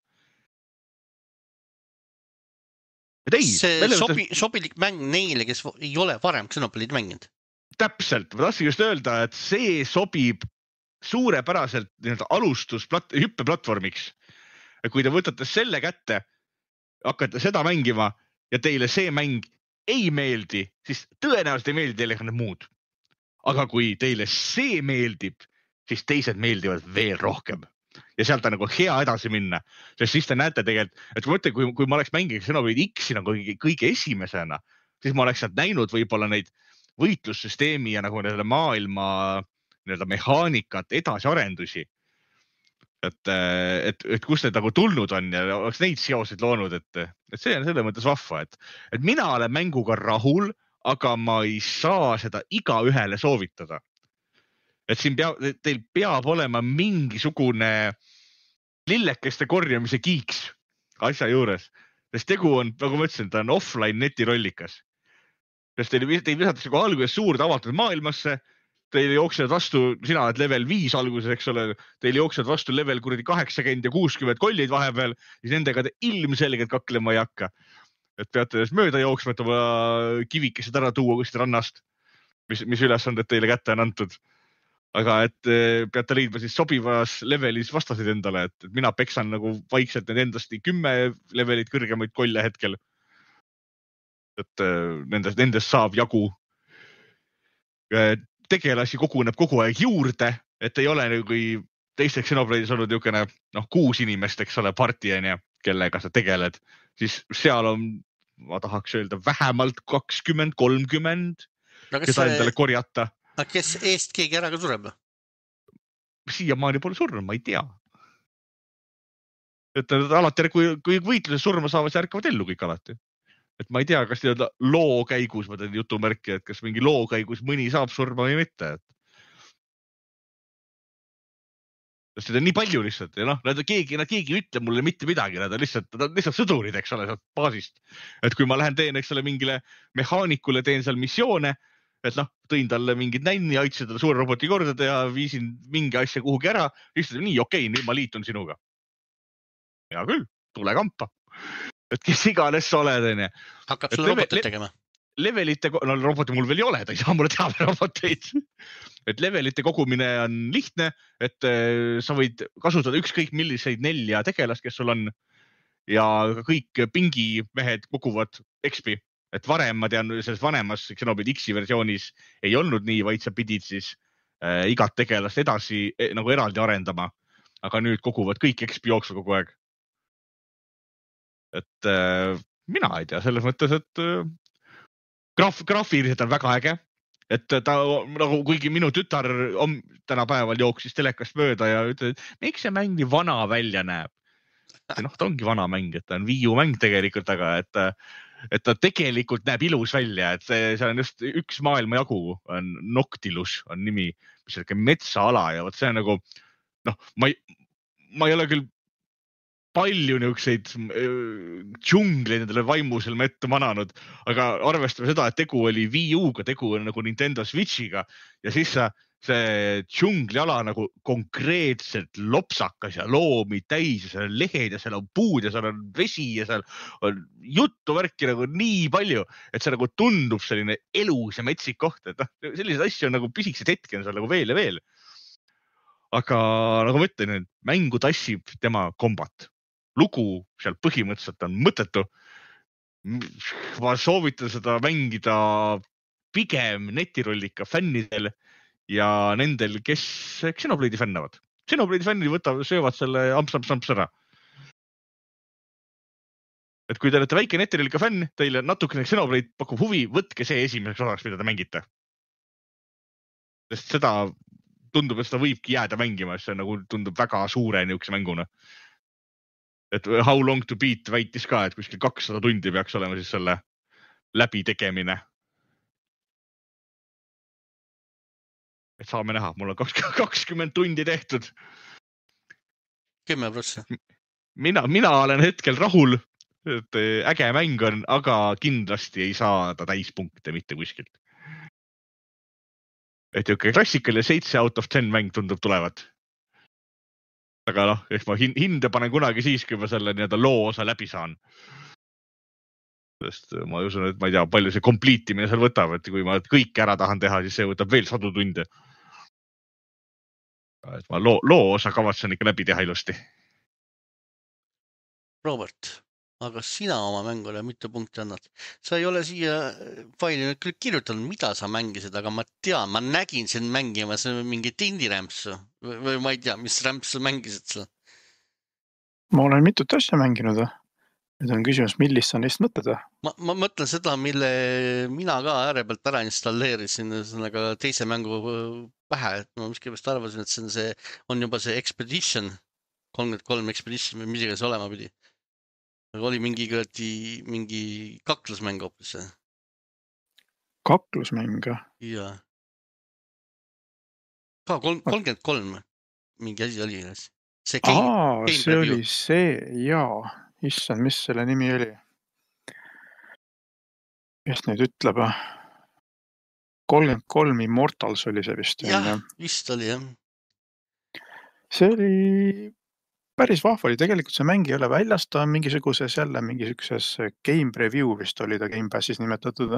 Ei, see sobi, sobilik mäng neile, kes ei ole varem Xenoblade'i mänginud. Täpselt, ma tahtsin just öelda, et see sobib suurepäraselt alustus hüppeplatvormiks. Kui te võtate selle kätte, hakkate seda mängima ja teile see mäng ei meeldi, siis tõenäoliselt ei meeldi teile ka need muud. Aga kui teile see meeldib, siis teised meeldivad veel rohkem. Ja sealt on nagu hea edasi minna, sest siis te näete tegelikult, et kui, mõtle, kui, kui ma oleks mänginud Xenoblade X-i nagu kõige esimesena, siis ma oleks sealt näinud võib-olla neid võitlussüsteemi ja nagu nende maailma nii-öelda mehaanikat, edasiarendusi. Et, et, et kus need nagu tulnud on ja oleks neid seoseid loonud, et, et see on selle mõttes vahva, et, et mina olen mänguga rahul, aga ma ei saa seda iga ühele soovitada. Et siin peab, teil peab olema mingisugune lillekeste korjamise kiiks asja juures. Sest tegu on, nagu ma ütlesin, ta on offline netirollikas. Sest teil, teil visatakse kui alguses suurde avatud maailmasse, teil jooksevad vastu, sina oled level viis alguses, eks ole, teil jooksevad vastu level kuradi kaheksakümmend ja kuuskümmend kollid vahepeal, siis nendega te ilmselgelt kaklema ei hakka. Et peate mööda jooksma, et oma kivikesed ära tuua kuskil rannast, mis, mis ülesanded teile kätte on antud. aga et eh, peate leidma siis sobivas levelis vastasid endale, et, et mina peksan nagu vaikselt need endast kümme levelit kõrgemaid kolle hetkel. Et eh, nendest, nendest saab jagu. Tegelasi koguneb kogu aeg juurde, et ei ole nagu kui teisteks Xenoblade'is olnud niisugune noh, kuus inimest, eks ole, parti on ja, kellega sa tegeled, siis seal on, ma tahaks öelda, vähemalt kakskümmend, kolmkümmend, no, keda see... endale korjata. Aga kes eest keegi ära ka sureb? Siiamaani pole surnud, ma ei tea. Et alati, kui, kui võitluses surma saavad, siis ärkavad ellu kõik alati. Et ma ei tea, kas teada loo käigus, ma teen jutumärki, et kas mingi loo käigus mõni saab surma või mitte. Et... Sest seda on nii palju lihtsalt ja noh, nad keegi, nad keegi ei ütle mulle mitte midagi, nad on lihtsalt, nad on lihtsalt sõdurid, eks ole, sealt baasist. Et kui ma lähen teen, eks ole, mingile mehaanikule, teen seal missioone, et noh, tõin talle mingid nänni, aitasin talle suure roboti korda teha, viisin mingi asja kuhugi ära, lihtsalt nii okei, nüüd ma liitun sinuga. Hea küll, tule kampa. Et kes iganes sa oled, on ja. Hakkab sulle robotit tegema? Levelite, no roboti mul veel ei ole, ta ei saa mulle teha roboteid. Et levelite kogumine on lihtne, et sa võid kasutada ükskõik milliseid nelja tegelast, kes sul on. Ja kõik pingi mehed koguvad X P. Et varem, ma tean, selles vanemas Xenoblade X-i versioonis ei olnud nii, vaid sa pidid siis äh, igat tegelast edasi eh, nagu eraldi arendama. Aga nüüd koguvad kõik X P jooksu kogu aeg. Et äh, mina ei tea, selles mõttes, et äh, graaf, graafiliselt on väga äge. Et ta nagu, kuigi minu tütar on tänapäeval jooksis telekast mööda ja ütleb, et miks see mäng nii vana välja näeb? Noh, ta ongi vana mäng, et ta on Wii U mäng tegelikult, aga et, et ta tegelikult näeb ilus välja, et see, see on just üks maailma jagu, on Noctilus on nimi, mis on metsaala ja võt see on nagu, noh, ma ei, ma ei ole küll palju niisuguseid džungleid nendele vaimusel me ette mananud, aga arvestame seda, et tegu oli Wii U-ga, tegu on nagu Nintendo Switchiga ja siis see džungliala nagu konkreetselt lopsakas ja loomi täis ja seal on lehed ja seal on puud ja seal on vesi ja seal on juttu värki nagu nii palju, et see nagu tundub selline elus ja metsik koht, et noh, sellised asju on nagu pisikesed hetki on seal nagu veel ja veel. Aga nagu ma ütlen, mängu tassib tema kombat. Lugu seal põhimõtteliselt on mõttetu. Ma soovitan seda mängida pigem netirollika fännidel ja nendel, kes Xenoblade'i fännavad. Xenoblade'i fännid võtavad, söövad selle amps-amps-amps ära. Et kui te olete väike netirollika fänn, teile natukene Xenoblade pakub huvi, võtke see esimeseks osaks, mida te mängite. Sest seda tundub, et seda võibki jääda mängima, see nagu tundub väga suure niisuguse mänguna. Et How Long to Beat väitis ka, et kuskil kakssada tundi peaks olema siis selle läbi tegemine. Et saame näha, mul on kakskümmend tundi tehtud. kümme prossa. Mina, mina olen hetkel rahul, et äge mäng on, aga kindlasti ei saa ta täispunkte mitte kuskilt. Et jõuke klassikaline seitse out of ten mäng tundub tulevat. Aga noh, eks ma hinde panen kunagi siis, kui ma selle nii-öelda loo osa läbi saan. Sest ma usun, et ma ei tea, palju see kompliitimine seal võtab, et kui ma kõik ära tahan teha, siis see võtab veel sadu tunde. Et ma loo, loo osa kavatsen ikka läbi teha ilusti. Robert, aga sina oma mängule mitu punkti annad? Sa ei ole siia faili nüüd küll kirjutanud, mida sa mängisid, aga ma tean, ma nägin sind mängima, see on mingi tindirämpsu või, või ma ei tea, mis rämpsu mängisid sa? Ma olen mitut asja mänginud. Nüüd on küsimus, millist sa neist mõtled? Ma, ma mõtlen seda, mille mina ka ääre pealt ära installeerisin aga teise mängu pähe, et ma miskipest arvasin, et see on, see, on juba see Expedition, kolmkümmend kolm Expedition või midagi see olema pidi. Aga oli mingi, mingi kaklusmäng hoopis. Kaklusmäng? Jaa. Ka kolmkümmend kolm mingi asi oli. See, game, Aa, game see oli see, jaa. Issand, mis selle nimi oli? Kes nüüd ütleb? kolmkümmend kolm Immortals oli see vist. Jah, vist oli, jah. See oli... päris vahva oli, tegelikult see mäng ei ole väljas, ta on mingisuguses jälle mingisuguses game preview vist oli ta Game Passis nimetatud.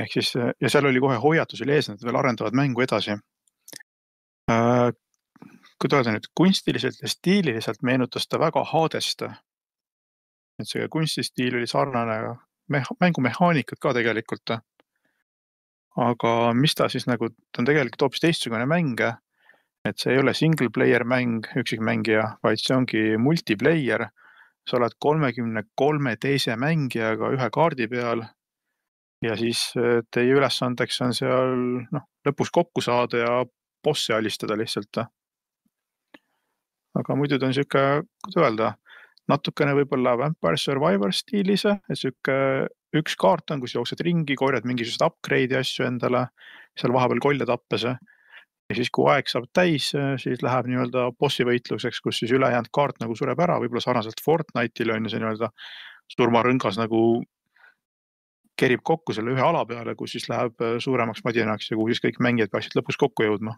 Ehk siis, ja seal oli kohe hoiatus üle ees, et veel arendavad mängu edasi. Äh, kui öelda nüüd kunstiliselt ja stiililiselt meenutas ta väga Hadest. Et see kunstistiil oli sarnane meha- mängumehaanikud ka tegelikult. Aga mis ta siis nagu, ta on tegelikult hoopis teistsugune mäng, et see ei ole single player mäng, üksikmängija, vaid see ongi multiplayer. Sa oled kolmekümne kolme teise mängijaga ühe kaardi peal ja siis teie ülesandeks on seal noh, lõpus kokku saada ja bossi alistada lihtsalt. Aga muidu ta on siuke, kuidas öelda, natukene võib-olla Vampire Survivor stiilis, et siuke üks kaart on, kus jooksed ringi, korjad mingisugust upgrade'i asju endale, seal vahepeal kolle tappes. Ja siis, kui aeg saab täis, siis läheb nii-öelda bossi võitluseks, kus siis ülejäänud kaart nagu sureb ära, võib-olla sarnaselt Fortnite'ile on see nii-öelda surmarõngas nagu kerib kokku selle ühe ala peale, kus siis läheb suuremaks madinaks ja kuhu siis kõik mängijad peaksid lõpus kokku jõudma.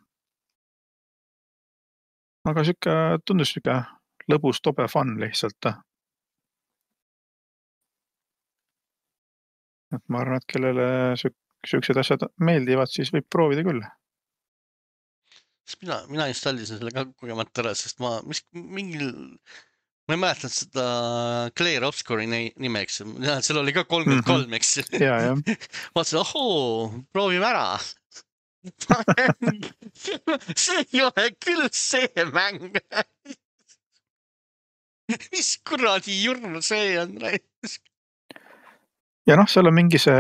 Aga siuke tundus siuke lõbus, tobe fun lihtsalt. Et ma arvan, et kellele siuksed asjad meeldivad, siis võib proovida küll. Mina, mina installisin selle ka kogemata ära, sest ma mis, mingil, ma ei mäletanud seda Claire Obscure'i nimeks, seal oli ka kolmkümmend kolm, eks. Ja, ja. Vaatasin, ohoo, proovime ära. See ei ole küll see mäng. Mis kuradi jurn see on? Ja noh, seal on mingi see,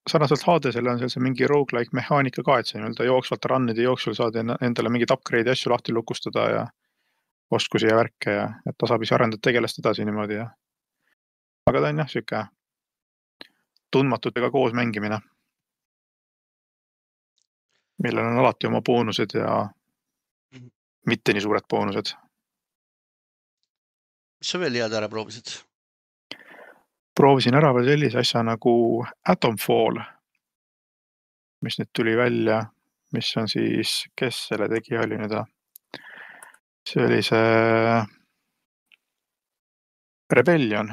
sarnaselt Hadesele on seal see mingi roguelike mehaanika ka, et see nii-öelda jooksvalt rannide jooksul saad endale mingid upgrade'i asju lahti lukustada ja oskusi ja värke ja et tasapisi arendad tegelast edasi niimoodi. Ja. Aga ta on jah, siuke tundmatutega koos mängimine, millel on alati oma boonused ja mitte nii suured boonused. Mis sa veel head ära proovisid? Proovisin ära veel sellise asja nagu Atomfall, mis nüüd tuli välja, mis on siis, kes selle tegi oli nüüd? See oli see Rebellion.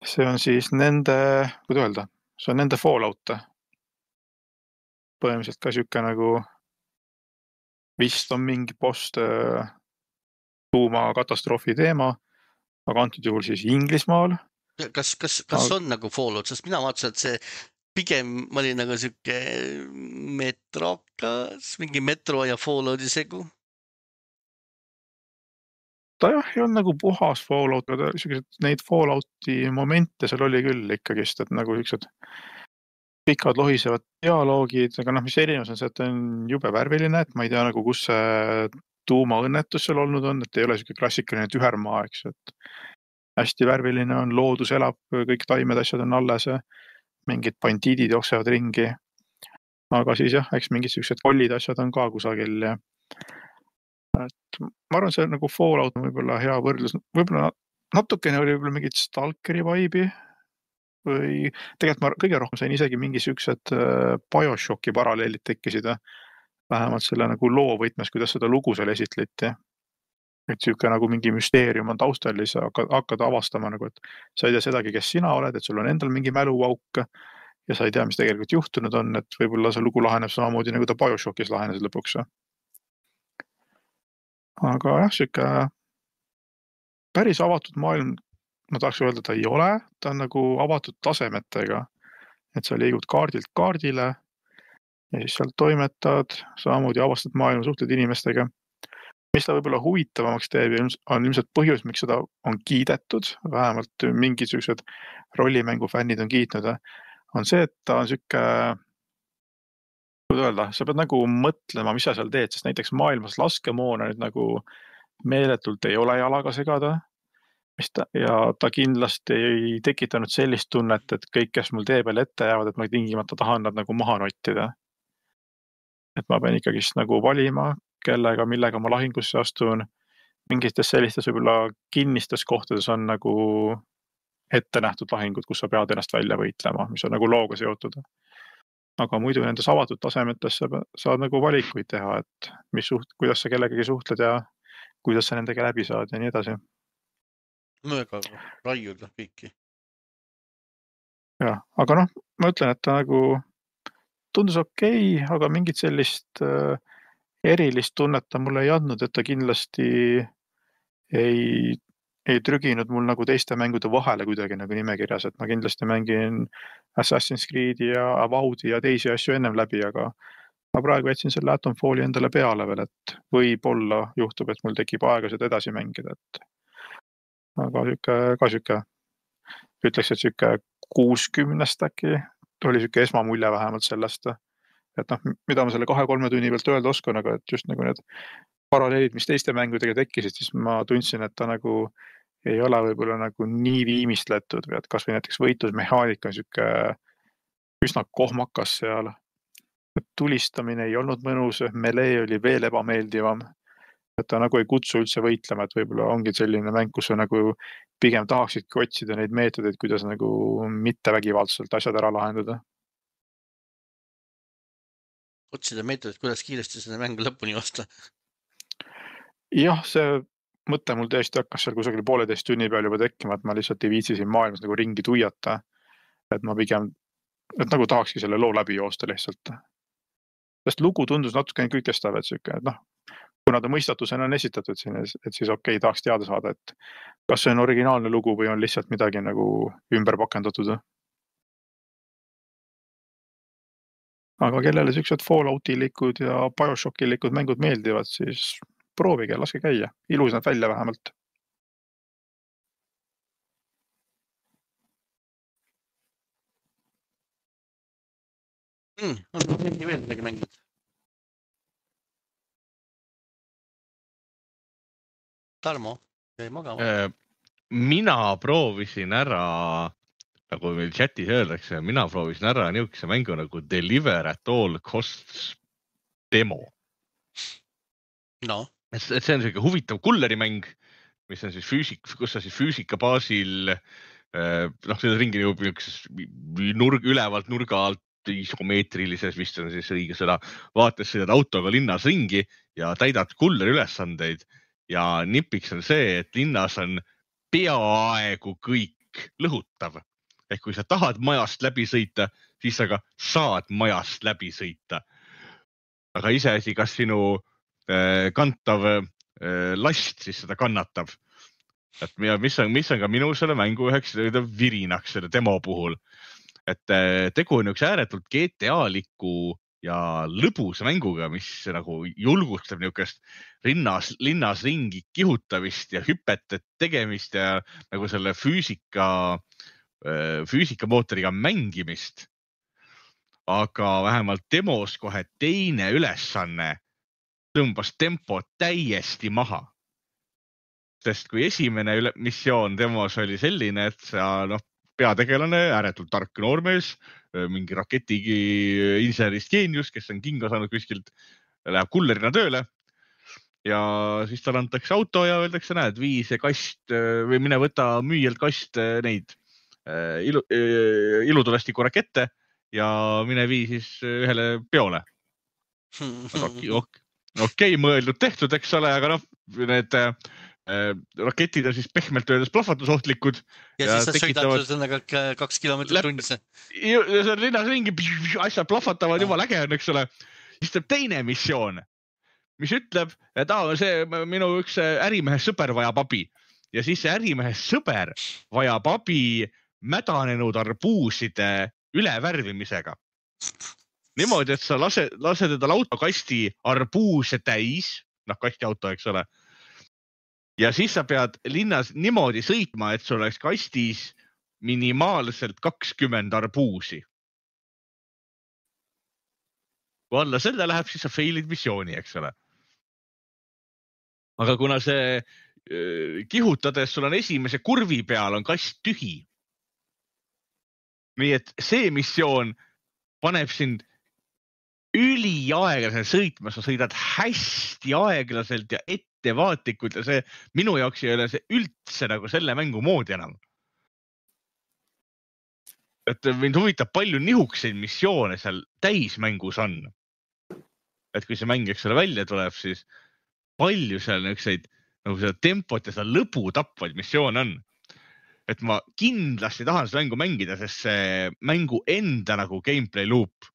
See on siis nende, kuidas öelda, see on nende Fallout. Põhimõtteliselt ka siuke nagu vist on mingi post tuuma katastroofi teema, aga antud juhul siis Inglismaal. Kas, kas, kas aga... on nagu Fallout, sest mina vaatasin, et see pigem oli nagu siuke metrokas, mingi metro ja Fallouti segu. Ta jah, ei on nagu puhas Fallout, aga siuksed neid Fallouti momente seal oli küll ikkagist, et nagu siuksed pikad lohisevad dialoogid, aga noh, mis erinevus on see, et on jube värviline, et ma ei tea nagu, kus see tuumaõnnetus seal olnud on, et ei ole siuke klassikaline tühermaa, eks, et hästi värviline on, loodus elab, kõik taimed asjad on alles, mingid bandiidid jooksevad ringi. Aga siis jah, eks mingid siuksed kollid asjad on ka kusagil. Ja... Et ma arvan, see nagu Fallout on võib-olla hea võrdlus. Võib-olla natukene oli võib-olla mingid Stalkeri vibe'i või tegelikult ma kõige rohkem sain isegi mingi siuksed Bioshocki paralleelid tekkisid. Vähemalt selle nagu loo võtmes, kuidas seda lugu seal esitleti. Et siuke nagu mingi müsteerium on taustal ja sa hakkad avastama, nagu, et sa ei tea sedagi, kes sina oled, et sul on endal mingi mäluvauk ja sa ei tea, mis tegelikult juhtunud on, et võib-olla see lugu laheneb samamoodi nagu ta Bioshockis lahenes lõpuks. Aga jah, siuke päris avatud maailm, ma tahaks öelda, ta ei ole, ta on nagu avatud tasemetega, et sa liigud kaardilt kaardile ja siis sealt toimetad, samamoodi avastad maailma, suhtled inimestega. Mis ta võib-olla huvitavamaks teeb on ilmselt põhjus, miks seda on kiidetud, vähemalt mingisugused rollimängufännid on kiitnud, on see, et ta on siuke, kuidas öelda, sa pead nagu mõtlema, mis sa seal teed, sest näiteks maailmas laskemoona nüüd nagu meeletult ei ole jalaga segada mis ta, ja ta kindlasti ei tekitanud sellist tunnet, et kõik, kes mul tee peal ette jäävad, et ma tingimata tahan nad nagu maha nottida. Et ma pean ikkagist nagu valima, kellega, millega ma lahingusse astun. Mingites sellistes võib-olla kinnistes kohtades on nagu ette nähtud lahingud, kus sa pead ennast välja võitlema, mis on nagu looga seotud. Aga muidu nendes avatud tasemetes sa saad nagu valikuid teha, et mis suht, kuidas sa kellegagi suhtled ja kuidas sa nendega läbi saad ja nii edasi. Mõega raiuda kõiki. Ja, aga noh, ma ütlen, et ta nagu tundus okei, aga mingit sellist erilist tunnet ta mulle ei andnud, et ta kindlasti ei, ei trüginud mul nagu teiste mängude vahele kuidagi nagu nimekirjas, et ma kindlasti mängin Assassin's Creed'i ja Avowed'i ja teisi asju ennem läbi, aga ma praegu jätsin selle Atomfalli endale peale veel, et võib-olla juhtub, et mul tekib aega seda edasi mängida, et aga süke, ka süke, ütleks, et süke kuuskümnest äkki oli süke esmamulje vähemalt sellest, et noh, mida ma selle kahe-kolme tunni pealt öelda oskan, aga et just nagu need paralleelid, mis teiste mängudega tekkisid, siis ma tundsin, et ta nagu ei ole võib-olla nagu nii viimistletud või et kas või näiteks võitlusmehaanika on süke üsna kohmakas seal. Tulistamine ei olnud mõnus, melee oli veel ebameeldivam. Et ta nagu ei kutsu üldse võitlema, et võib-olla ongi selline mäng, kus sa nagu pigem tahaksidki otsida neid meetodeid, kuidas nagu mitte vägivaldselt asjad ära lahendada. Otsida meetodit, kuidas kiiresti seda mängu lõpuni osta. Jah, see mõte mul tõesti hakkas seal kusagil pooleteist tunni peal juba tekkima, et ma lihtsalt ei viitsi siin maailmas nagu ringi tuiata. Et ma pigem, et nagu tahakski selle loo läbi joosta lihtsalt. Sest lugu tundus natukene kõikestav, et süke, et noh, kuna ta mõistatusena on esitatud siin, et siis okei, tahaks teada saada, et kas see on originaalne lugu või on lihtsalt midagi nagu ümber pakendatud. Aga kellele siuksed Falloutilikud ja Bioshocki-likud mängud meeldivad, siis proovige, laske käia. Ilus nad välja vähemalt. Mm, on mingi veel midagi mängid? Tarmo, jäi magama. Mina proovisin ära, nagu meil chatis öeldakse, mina proovisin ära niisuguse mängu nagu Deliver at All Costs demo. No. Et see on selline huvitav kullerimäng, mis on siis füüsik, kus sa siis füüsika baasil, noh, seda ringi jõub nurg, ülevalt nurga alt, isomeetrilises, vist on siis õige sõna, vaates sõidad autoga linnas ringi ja täidad kulleri ülesandeid ja nipiks on see, et linnas on peaaegu kõik lõhutav. Ehk kui sa tahad majast läbi sõita, siis sa ka saad majast läbi sõita. Aga iseasi, kas sinu äh, kantav äh, last siis seda kannatab. Et mis on, mis on ka minu selle mängu üheks virinaks selle demo puhul. Et tegu on üks ääretult G T A-liku ja lõbus mänguga, mis nagu julgustab niisugust rinnas, linnas ringi kihutamist ja hüpete tegemist ja nagu selle füüsika, füüsikamootoriga mängimist. Aga vähemalt demos kohe teine ülesanne tõmbas tempo täiesti maha. Sest kui esimene üle, missioon demos oli selline, et sa noh, peategelane, ääretult tark noormees, mingi raketigi insenerist geenius, kes on kinga saanud kuskilt, läheb kullerina tööle ja siis tal antakse auto ja öeldakse, näed, vii see kast või mine võta müüjalt kast neid ilu, ilutulestiku rakette ja mine vii siis ühele peole. Okei, okay, mõeldud tehtud, eks ole, aga noh, need raketid on siis pehmelt öeldes plahvatusohtlikud. Ja, ja siis sa tekitavad... sõidad sõnaga kaks kilomeetrit tunnisse. Ja see on linnas ringi, asjad plahvatavad, juba läge on, eks ole. Siis tuleb teine missioon, mis ütleb, et ah, see minu üks ärimehe sõber vajab abi. Ja siis see ärimehe sõber vajab abi mädanenud arbuuside ülevärvimisega. Niimoodi, et sa lase, lase teda autokasti arbuuse täis, noh, kasti auto, eks ole. Ja siis sa pead linnas niimoodi sõitma, et sul oleks kastis minimaalselt kakskümmend arbuusi. Kui alla selle läheb, siis sa failid missiooni, eks ole. Aga kuna see kihutades sul on esimese kurvi peal, on kast tühi. Nii et see missioon paneb sind üli aeglaselt sõitma, sa sõidad hästi aeglaselt ja ettevaatlikult ja see minu jaoks ei ole see üldse nagu selle mängu moodi enam. Et mind huvitab palju nihukseid missioone seal täismängus on. Et kui see mäng eks selle välja tuleb, siis palju seal nihukseid nagu seda tempot ja seda lõbu tapvaid missioone on. Et ma kindlasti tahan seda mängu mängida, sest see mängu enda nagu gameplay loop,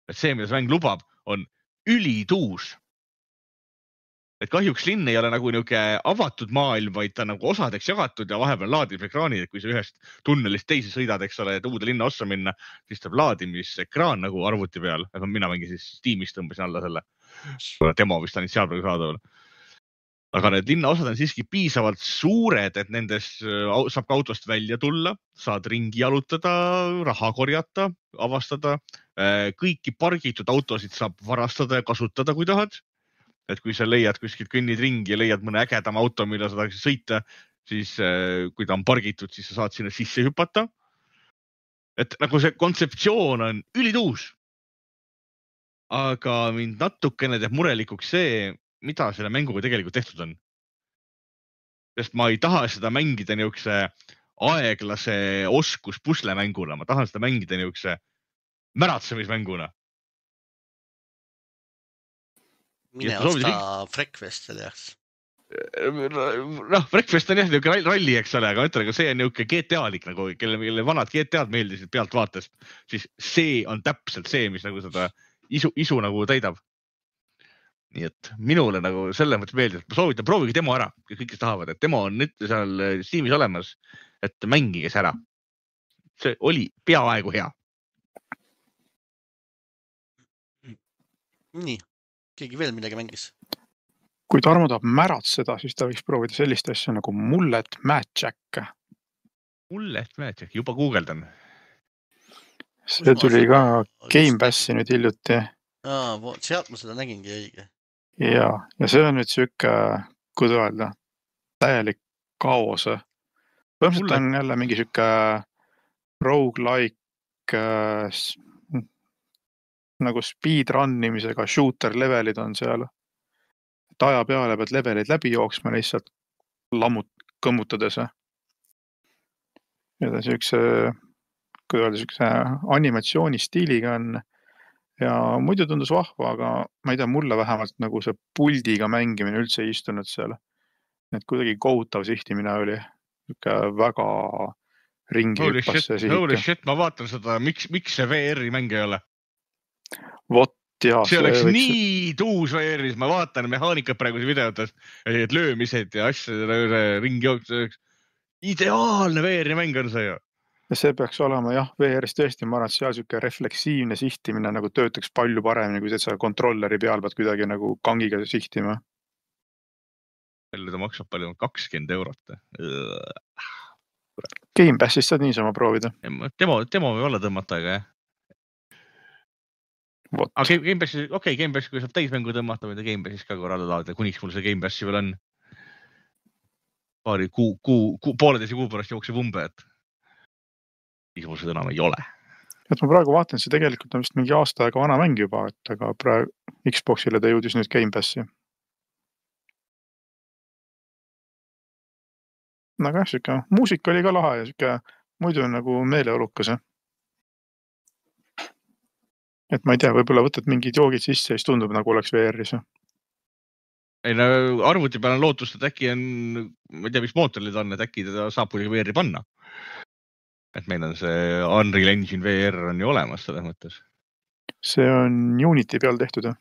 et see, mida see mäng lubab, on ülituus. et kahjuks linn ei ole nagu niuke avatud maailm, vaid ta on nagu osadeks jagatud ja vahepeal laadimisekraanid, et kui sa ühest tunnelist teise sõidad, eks ole, et uude linna ossa minna, siis tuleb laadimisekraan nagu arvuti peal. Mina mingi siis Steamis tõmbasin alla selle. Demo vist on seal praegu saadaval. Aga need linnaosad on siiski piisavalt suured, et nendes saab ka autost välja tulla, saad ringi jalutada, raha korjata, avastada. Kõiki pargitud autosid saab varastada ja kasutada, kui tahad. Et kui sa leiad kuskilt kõnnid ringi ja leiad mõne ägedama auto, mille sa tahaksid sõita, siis kui ta on pargitud, siis sa saad sinna sisse hüpata. Et nagu see kontseptsioon on ülituus. Aga mind natukene teeb murelikuks see, mida selle mänguga tegelikult tehtud on. Sest ma ei taha seda mängida niukse aeglase oskus puslemänguna. Ma tahan seda mängida niukse märatsemismänguna. Mine osta Freakfestil, jah. Noh, Breakfast on jah niuke ralli, eks ole, aga ütlen, aga see on niuke G T A-lik nagu, kelle, kelle vanad G T A-d meeldisid pealt vaatest, siis see on täpselt see, mis nagu seda isu, isu nagu täidab. Nii et minule nagu selle mõttes meeldib, ma soovitan, proovige demo ära, kõik, kes tahavad, et demo on nüüd seal Steamis olemas, et mängige see ära. See oli peaaegu hea. Nii, keegi veel midagi mängis? Kui Tarmo tahab märatseda, siis ta võiks proovida sellist asja nagu Mullet Magic. Mullet Magic, juba guugeldan. See tuli ka Game Passi nüüd hiljuti. Aa, sealt ma seda nägingi õige. Ja, ja see on nüüd süke, kuidas öelda, täielik kaos. Põhimõtteliselt on jälle mingi süke roguelike äh, nagu speedrunnimisega shooter levelid on seal. Et aja peale pead levelid läbi jooksma lihtsalt lammut, kõmmutades. Ja ta sükse, kuidas öelda, sükse animatsiooni stiiliga on. Ja muidu tundus vahva, aga ma ei tea, mulle vähemalt nagu see puldiga mängimine üldse ei istunud seal. Et kuidagi kohutav sihtimine oli. Väga ringi holy hüppas see sihik. Holy shit, ma vaatan seda, miks, miks see V R-i mäng ei ole? Vot, jah. See oleks võiks... nii tuus V R-is, ma vaatan mehaanikat praegu videotes, et löömised ja asjad ringi jooks. Ideaalne V R-i mäng on see ju. Ja see peaks olema, jah, V R-is tõesti, ma arvan, et seal süke refleksiivne sihtimine nagu töötaks palju paremini, kui sa kontrolleri peal pead kuidagi nagu kangiga sihtima. Jälle ta maksab palju, kakskümmend eurot. Game Passist saad niisama proovida. Demo, demo või olla tõmmata, aga jah. Vot. Aga Game Passi, okei, okay, Game Passi, kui saab täismängu tõmmata, või ta Game Passis ka korrale laada, kuniks mul see Game Passi veel on. Paari kuu, kuu, kuu, pooleteise kuu pärast jookseb umbe, et siis mul seda enam ei ole. Et ma praegu vaatan, see tegelikult on vist mingi aasta aega vana mäng juba, et aga praegu Xboxile ta jõudis nüüd Game Passi. Aga jah, süke, muusika oli ka lahe ja süke muidu on nagu meeleolukas. Et ma ei tea, võib-olla võtad mingid joogid sisse ja siis tundub nagu oleks V R-is. Ei, no arvuti peal on lootust, et äkki on, ma ei tea, mis mootorid on, et äkki teda saab kuidagi V R-i panna. Et meil on see Unreal Engine V R on ju olemas selles mõttes. See on Unity peal tehtud.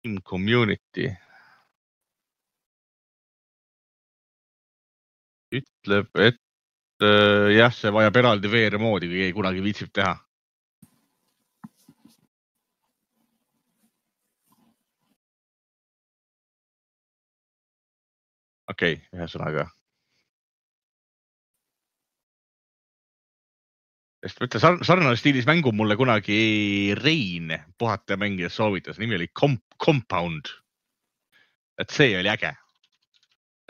In Community. Ütleb, et äh, jah, see vajab eraldi V R moodi, kui ei kunagi viitsib teha. Okei, okay, ühesõnaga. Sest mõtle, sarnane stiilis mängu mulle kunagi Rein puhata mängides soovitas. Nimi oli Comp- Compound. Et see oli äge.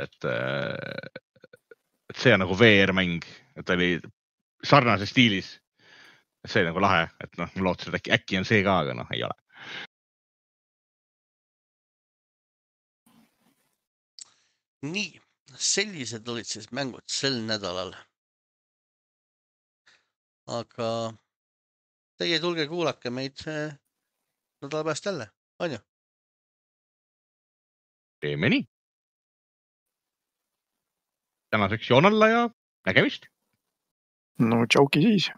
Et, et see on nagu V R-mäng. Et oli sarnase stiilis. Et see oli nagu lahe. Et noh, ma lootsin, et äkki, äkki on see ka, aga noh, ei ole. Nii, sellised olid siis mängud sel nädalal. Aga teie tulge kuulake meid nädala pärast jälle, on ju? Teeme nii. Tänaseks joonalla ja nägemist. No tšauki siis.